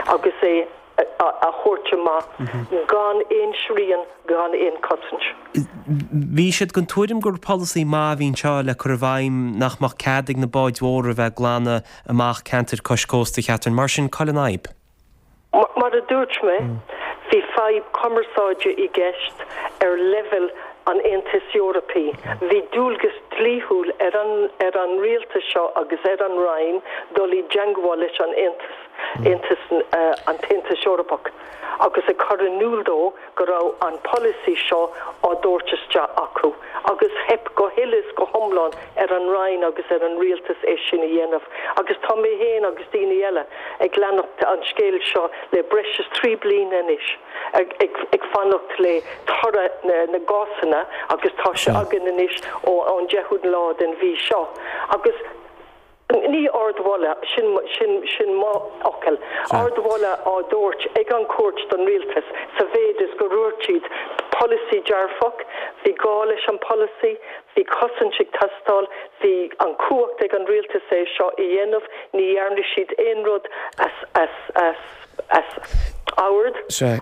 agus é a thabhairt amach gan aon srian, gan aon chosaint. Bhí siad den tuairim gur polasaí maith a bhí anseo le cur i bhfeidhm nach mbeadh cead ag na báid mhóra a bheith ag glanadh amach ceantair cois cósta, a Chatherine. Mar sin, cá bhfuil an fhadhb? Mar a dúirt mé, bhí fadhb cumarsáide i gceist ar leibhéal an Aontais Eorpaigh. Bhí dualgas dlíthiúil ar an ar an rialtas seo agus ar an Roinn dul i dteangmháil leis an Aontas. Aontas an tAontas Eorpach agus ag cur in iúl dó go raibh an polasaí seo á dtabhairt isteach acu agus theip go huile is go hiomlán ar an Roinn agus ar an Rialtas é sin a dhéanamh agus tá mé féin agus daoine eile ag leanacht an scéil seo le breis is 3 bliana anois ag fanacht le toradh na gcásanna agus tá sé againn anois ón 10ú lá den mhí seo agus Ní ardmholadh, sin, sin, sin mo fhocal, ardmholadh á dtabhairt ag an chúirt don rialtas sa mhéid is gur dhúirt siad polasaí dearfach, bhí gá leis an polasaí, bhí cosaint ag teastáil, bhí an chumhacht ag an rialtas é seo a dhéanamh, ní dhearna siad aon rud as, as, as, as ord,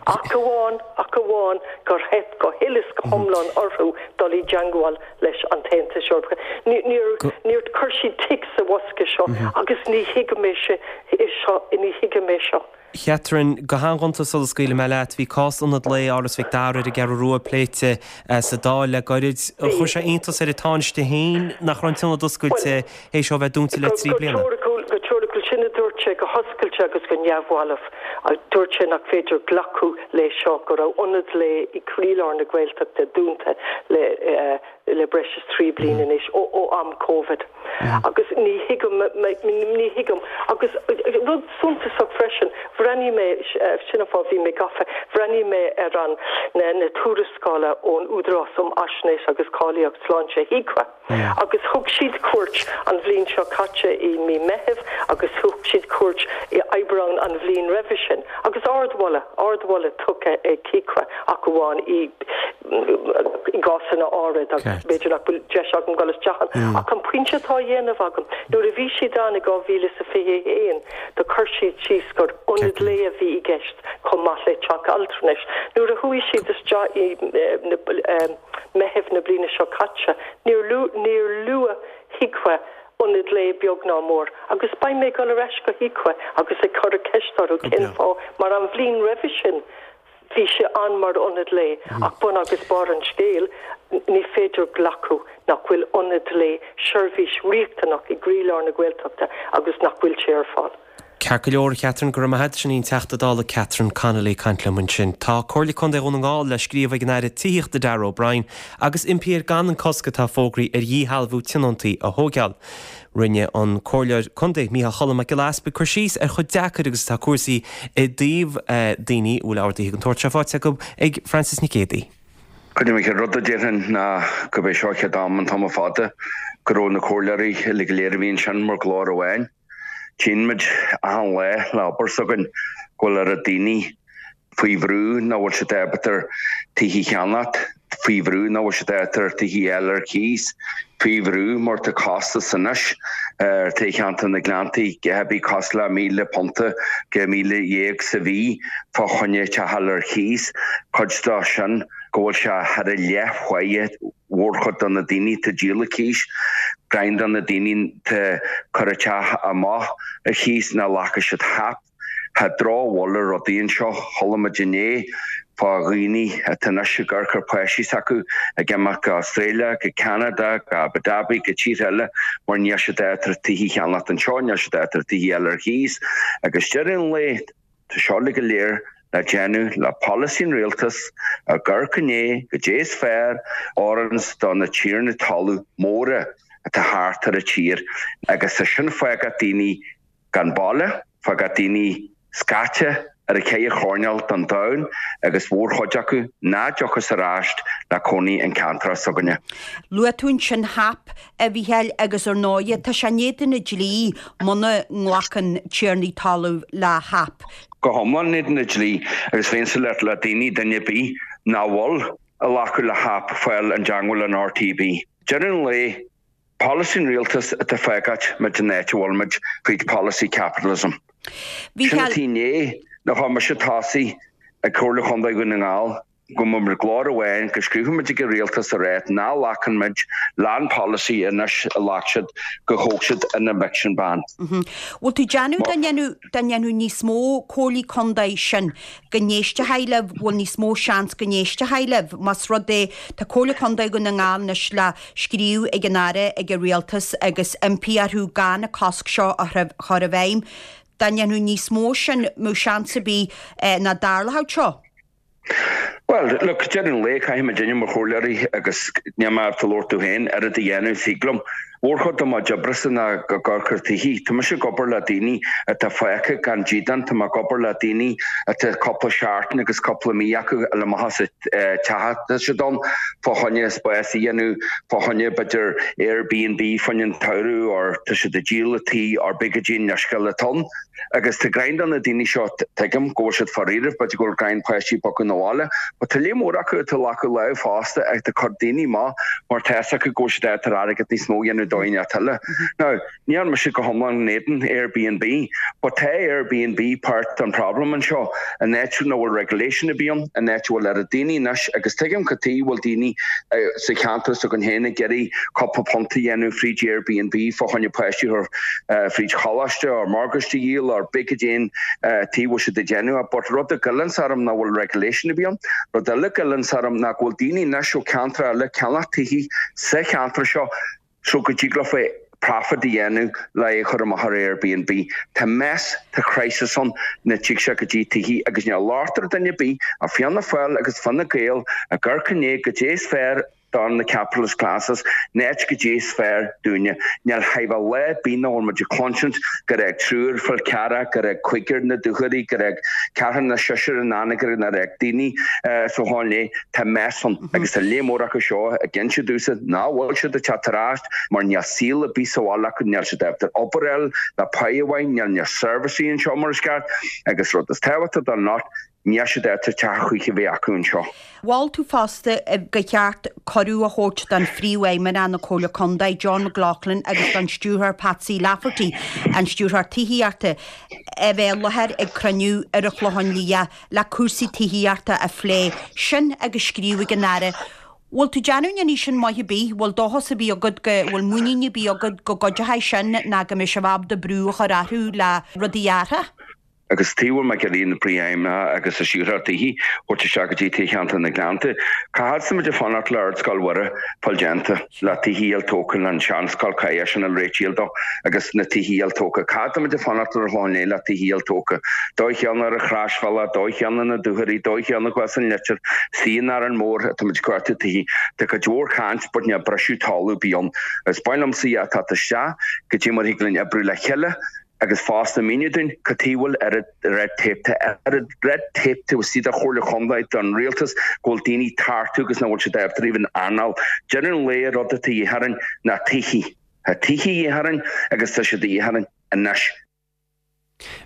ach amháin, ach amháin gur theip go huile is go hiomlán orthu dul i dteangmháil leis an tAontas Eorpach. Níor níor chuir siad tic sa bhosca seo agus ní thuigim é seo, ní thuigim é seo. Catherine, go han-ghonta sula scaoilfidh mé leat, bhí cás Ionad Lae Áras Mhic Dara ar an gCeathrú Rua pléite sa Dáil le gairid. Chuir sé iontas ar an Tánaiste féin nach raibh an t-ionad oscailte théis é a bheith dúnta le 3 bliana. Go teoiriciúil, sin a dúirt sé go hoscailte agus go neamhbhalbh. Dúirt sé nach féidir glacadh le seo, go raibh ionad lae i gcroílár na Gaeltachta dúnta le le breis is 3 bliana anois, ó ó am Covid. Agus ní thuigim, ní thuigim. Agus rud suntasach freisin, bhreathnaigh mé, sin an fáth bhí mé gafa, bhreathnaigh mé ar an na na tuarascála ón Údarás um Fhaisnéis agus Cáilíocht Sláinte, HIQA. Agus thug siad cuairt an bhliain seo caite i mí Meithimh agus thug siad cuairt i Aibreán an bhliain roimhe sin. Agus ardmholadh, ardmholadh tugtha ag HIQA ach amháin i gcásanna áirid agus b'fhéidir nach bhfuil deis agam dul isteach ann. Ach an pointe atá á dhéanamh agam, nuair a bhí siad ann i 2021 do chuir siad síos gur ionad lae a bhí i gceist chomh maith le teach altranais. Nuair a chuaigh siad isteach i Meitheamh na bliana seo caite, níor níor luaigh HIQA ionad lae beag ná mór, agus beidh mé ag dul ar ais go HIQA agus ag cur ceist orthu cén fáth, mar an bhliain roimhe sin bhí sé ann mar ionad lae, ach bun agus barr an scéil, ní féidir glacadh nach bhfuil ionad lae, seirbhís riachtanach i gcroílár na Gaeltachta agus nach bhfuil sé ar fáil. Ceart go leor, a Chatherine, go raibh maith agat. Sin í an Teachta Dála Catherine Connolly ag caint liom ansin. Tá Comhairle Contae Dhún na nGall le scríobh ag an Aire Tithíochta Darragh O'Brien agus impí air gan an cosc atá fógraithe ar dhíshealbhú tionóntaí a thóigeáil. Rinne an Comhairleoir Contae Mícheál Cholm Mac Giolla Easpaig cur síos ar chomh deacair agus atá cúrsaí i dtaobh daoine a bhfuil orduithe den tsórt seo faighte acu ag Francis Nic Géadaigh. Cuid de an chéad rud a déarfainn ná gurb é seo an chéad am an t-am fada go raibh na comhairleoirí uilig go léir a bhí ansin mar ghlór amháin. Tchíonn muid achan lá le obair s'againn go bhfuil oiread daoine faoi bhrú nach bhfuil siad ábalta tithe a cheannacht, faoi bhrú nach bhfuil siad ábalta tithe a fháil ar cíos, faoi bhrú mar tá costas anois ar tithe cheantar na Gleanntaí go bith cosúil le £1,000 go 15,000 sa mhí fá choinne teach a fháil ar cíos, cuid de sin go bhfuil sé thar a leath mhórchuid de na daoine atá ag díol ar cíos, roinnt de na daoine atá ag cur a teach amach ar chíos nach nglacfaidh siad HAP. Tá drochbhail ar rudaí anseo. Chuala muid inné fá dhaoine atá anois ag amharc ar páistí s'acu ag imeacht go Australia, go Ceanada, go Abu Dhabi, go tíortha eile mar níl siad ábalta tithe a cheannacht anseo, níl siad ábalta tithe a fháil ar chíos. Agus deireadh an lae. Tá seo uilig go léir le déanamh le polasaí an rialtais ag amharc i ndiaidh goidé is fearr a oireanns do na tiarnaí talaimh móra atá thart ar an tír agus tá sin fágáil daoine gan baile, fágáil daoine scaite ar an cheithre choirnéal den domhan agus mhórchuid acu ná dtiocfas ar ais le cónaí an ceantar s'againne. Luaigh tú ansin HAP, a Mhícheáil, agus ar ndóighe, tá sé in éadan an dlí muna nglacann tiarnaí talaimh le HAP. Go hiomlán in éadan an dlí agus bheinnse le le daoine, duine ar bith nach bhfuil ag glacadh le HAP fáil i dteangmháil an RTB. Deireadh an lae, polasaí an rialtais atá fágáil muid an áit a bhfuil muid fríd polasaí capitalism. Sin atá i ndiaidh nach bhfuil mise tosaí ag Comhairle Chontae Dhún na nGall go mbeidh muid glór amháin, go scríobfaidh muid ag an rialtas a rá nach nglacann muid le'n polasaí anois a ghlac siad go thóg siad an eviction ban. Bhfuil tú déanamh dá ndéanfadh dá ndéanfadh níos mó comhairlí contae sin go n-éistfeadh libh, bhfuil níos mó seans go n-éistfeadh libh más rud é tá Comhairle Contae Dhún na nGall anois le scríobh ag an Aire ag an Rialtas agus impí orthu gan an cosc seo a chur i bhfeidhm. Dá ndéanfadh níos mó sin mbeadh seans ar bith nach dtarlódh seo? Bhuel, look, deireadh an lae, caithfidh muidinne mar chomhairleoirí, agus níl mé ábalta labhairt domh féin, oiread a dhéanamh, thig liom. Mhórchuid de mo chuid oibrese ná ag amharc ar tithe. Tá mise ag obair le daoine atá fágtha gan dídean, tá mé ag obair le daoine atá cúpla seachtain agus cúpla mí acu a fháil amach as an teach atá siad ann fá choinne spás a dhéanamh, fá choinne b'fhéidir Airbnb fá choinne an tsamhradh or tá siad ag díol a tí or pé goidé an leithscéal atá ann. Agus tá greim do na daoine seo, tuigim go bhfuil siad faraor, b'fhéidir go bhfuil greim páistí bogadh 'na bhaile, but tá lear mór acu atá ag glacadh lámh fosta ag ag cur daoine amach mar tá fhios acu go bhfuil siad ábalta airgead níos mó a dhéanamh dóigh inteacht eile. Now, níl mise go hiomlán in éadan Airbnb, but tá Airbnb páirt den problem anseo, an áit nach bhfuil regulation ar bith ann, an áit a bhfuil oiread daoine anois agus tuigim cad tuige a bhfuil daoine sa cheantar s'againn féin ag iarraidh cúpla punt a dhéanamh fríd Airbnb fá choinne páistí a chur fríd choláiste or morgáiste a dhíol or pé goidé an tuige a bhfuil siad ag déanamh é but rud a ghoilleanns orm nach bhfuil regulation ar bith ann. Rud eile a ghoilleanns orm ná go bhfuil daoine anois ó ceantar eile ag ceannach tithe sa cheantar seo so go dtig leofa profit a dhéanamh le é a chur amach ar Airbnb. Tá mess, tá crisis ann nuair a tig sé go dtí tithe agus níl locht ar duine ar bith ach Fianna Fáil agus Fine Gael ag amharc i ndiaidh goidé is fearr do na capitalist classes, in áit goidé is fearr dúinne. Níl chóir a bheith lá ar bith nach bhfuil muid ag cluinsint gur fhág triúr Fál Carrach, gur fhág cúigear na Dúchoraidh, gur fhág ceathrar nó seisear in Anagaire, nár fhág daoine sa Chlochán Liath. Tá mess ann agus tá lear mór acu seo ag inse domhsa nach bhfuil siad ag teacht ar ais mar níl saol ar bith sa bhaile acu, níl siad ábalta obair a fháil le páighe mhaith, níl na seirbhísí anseo mar is ceart agus rud is tábhachtaí den lot, Níl siad ábalta teach a choíche a bheith acu anseo. Mhol tú fosta gur cheart cuireadh a thabhairt don Phríomhfheidhmeannach na Comhairle Contae, John McLaughlin agus don Stiúrthóir Patsy Lafferty, an Stiúrthóir Tithíochta, a bheith i láthair ag cruinniú ar an Chlochán Liath le cúrsaí tithíochta a phlé. Sin agus scríobh ag an Aire. Bhfuil tú déanamh go ndéanfaidh sin maith ar bith? Bhfuil dóchas ar bith agat go, bhfuil muinín ar bith agat go gcuideochaidh sin ná go mbeidh sibh ábalta brú a chur orthu le rudaí a athrú? Agus tuige a bhfuil mé ag iarraidh na Príomhfheidhmeannaigh agus an Stiúrthóir Tithí a thabhairt isteach go dtí toghcheantar na nGleannta. Cá fhad is atá muid ag fanacht le Ardscoil Mhuire fáil déanta, le tithí a fháil tógtha, le an seanscoil caidé sin a réitíl dó agus na tithí a fháil tógtha. Cá fhad atá muid ag fanacht ar an Chlochán Liath le tithí a fháil tógtha. Dóigh chéanna ar an Chroisbhealach, dóigh chéanna na Dúchoraidh, dóigh chéanna thuas an Leitir, istigh in Árainn Mhór atá muid ag cuartú tithí. Tá cuid mhór caint but níl briseadh talamh ar bith ann. Is maith liomsa iad a theacht isteach go dtí mar thig linn oibriú le chéile. Agus fosta míniú dúinn cad tuige a bhfuil oiread red tape, tá oiread red tape taobh istigh de Chomhairle Chontae, don rialtas, go bhfuil daoine tartu agus nach bhfuil siad ábalta even anáil. Deireadh an lae rud atá de dhíth orainn ná tithí. Tá tithí de dhíth orainn agus tá siad de dhíth orainn anois.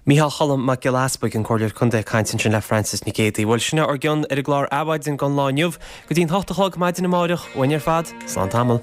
Micheál Cholm Mac Giolla Easbuig, an Comhairleoir Contae ag caint ansin le Frances Nic Géadaigh. Bhuel, sin é ár gcion ar an gclár Adhmhaidin don lá inniu. Go dtí'n hocht a chlog maidin amáireach, uainn ar fad, slán tamall.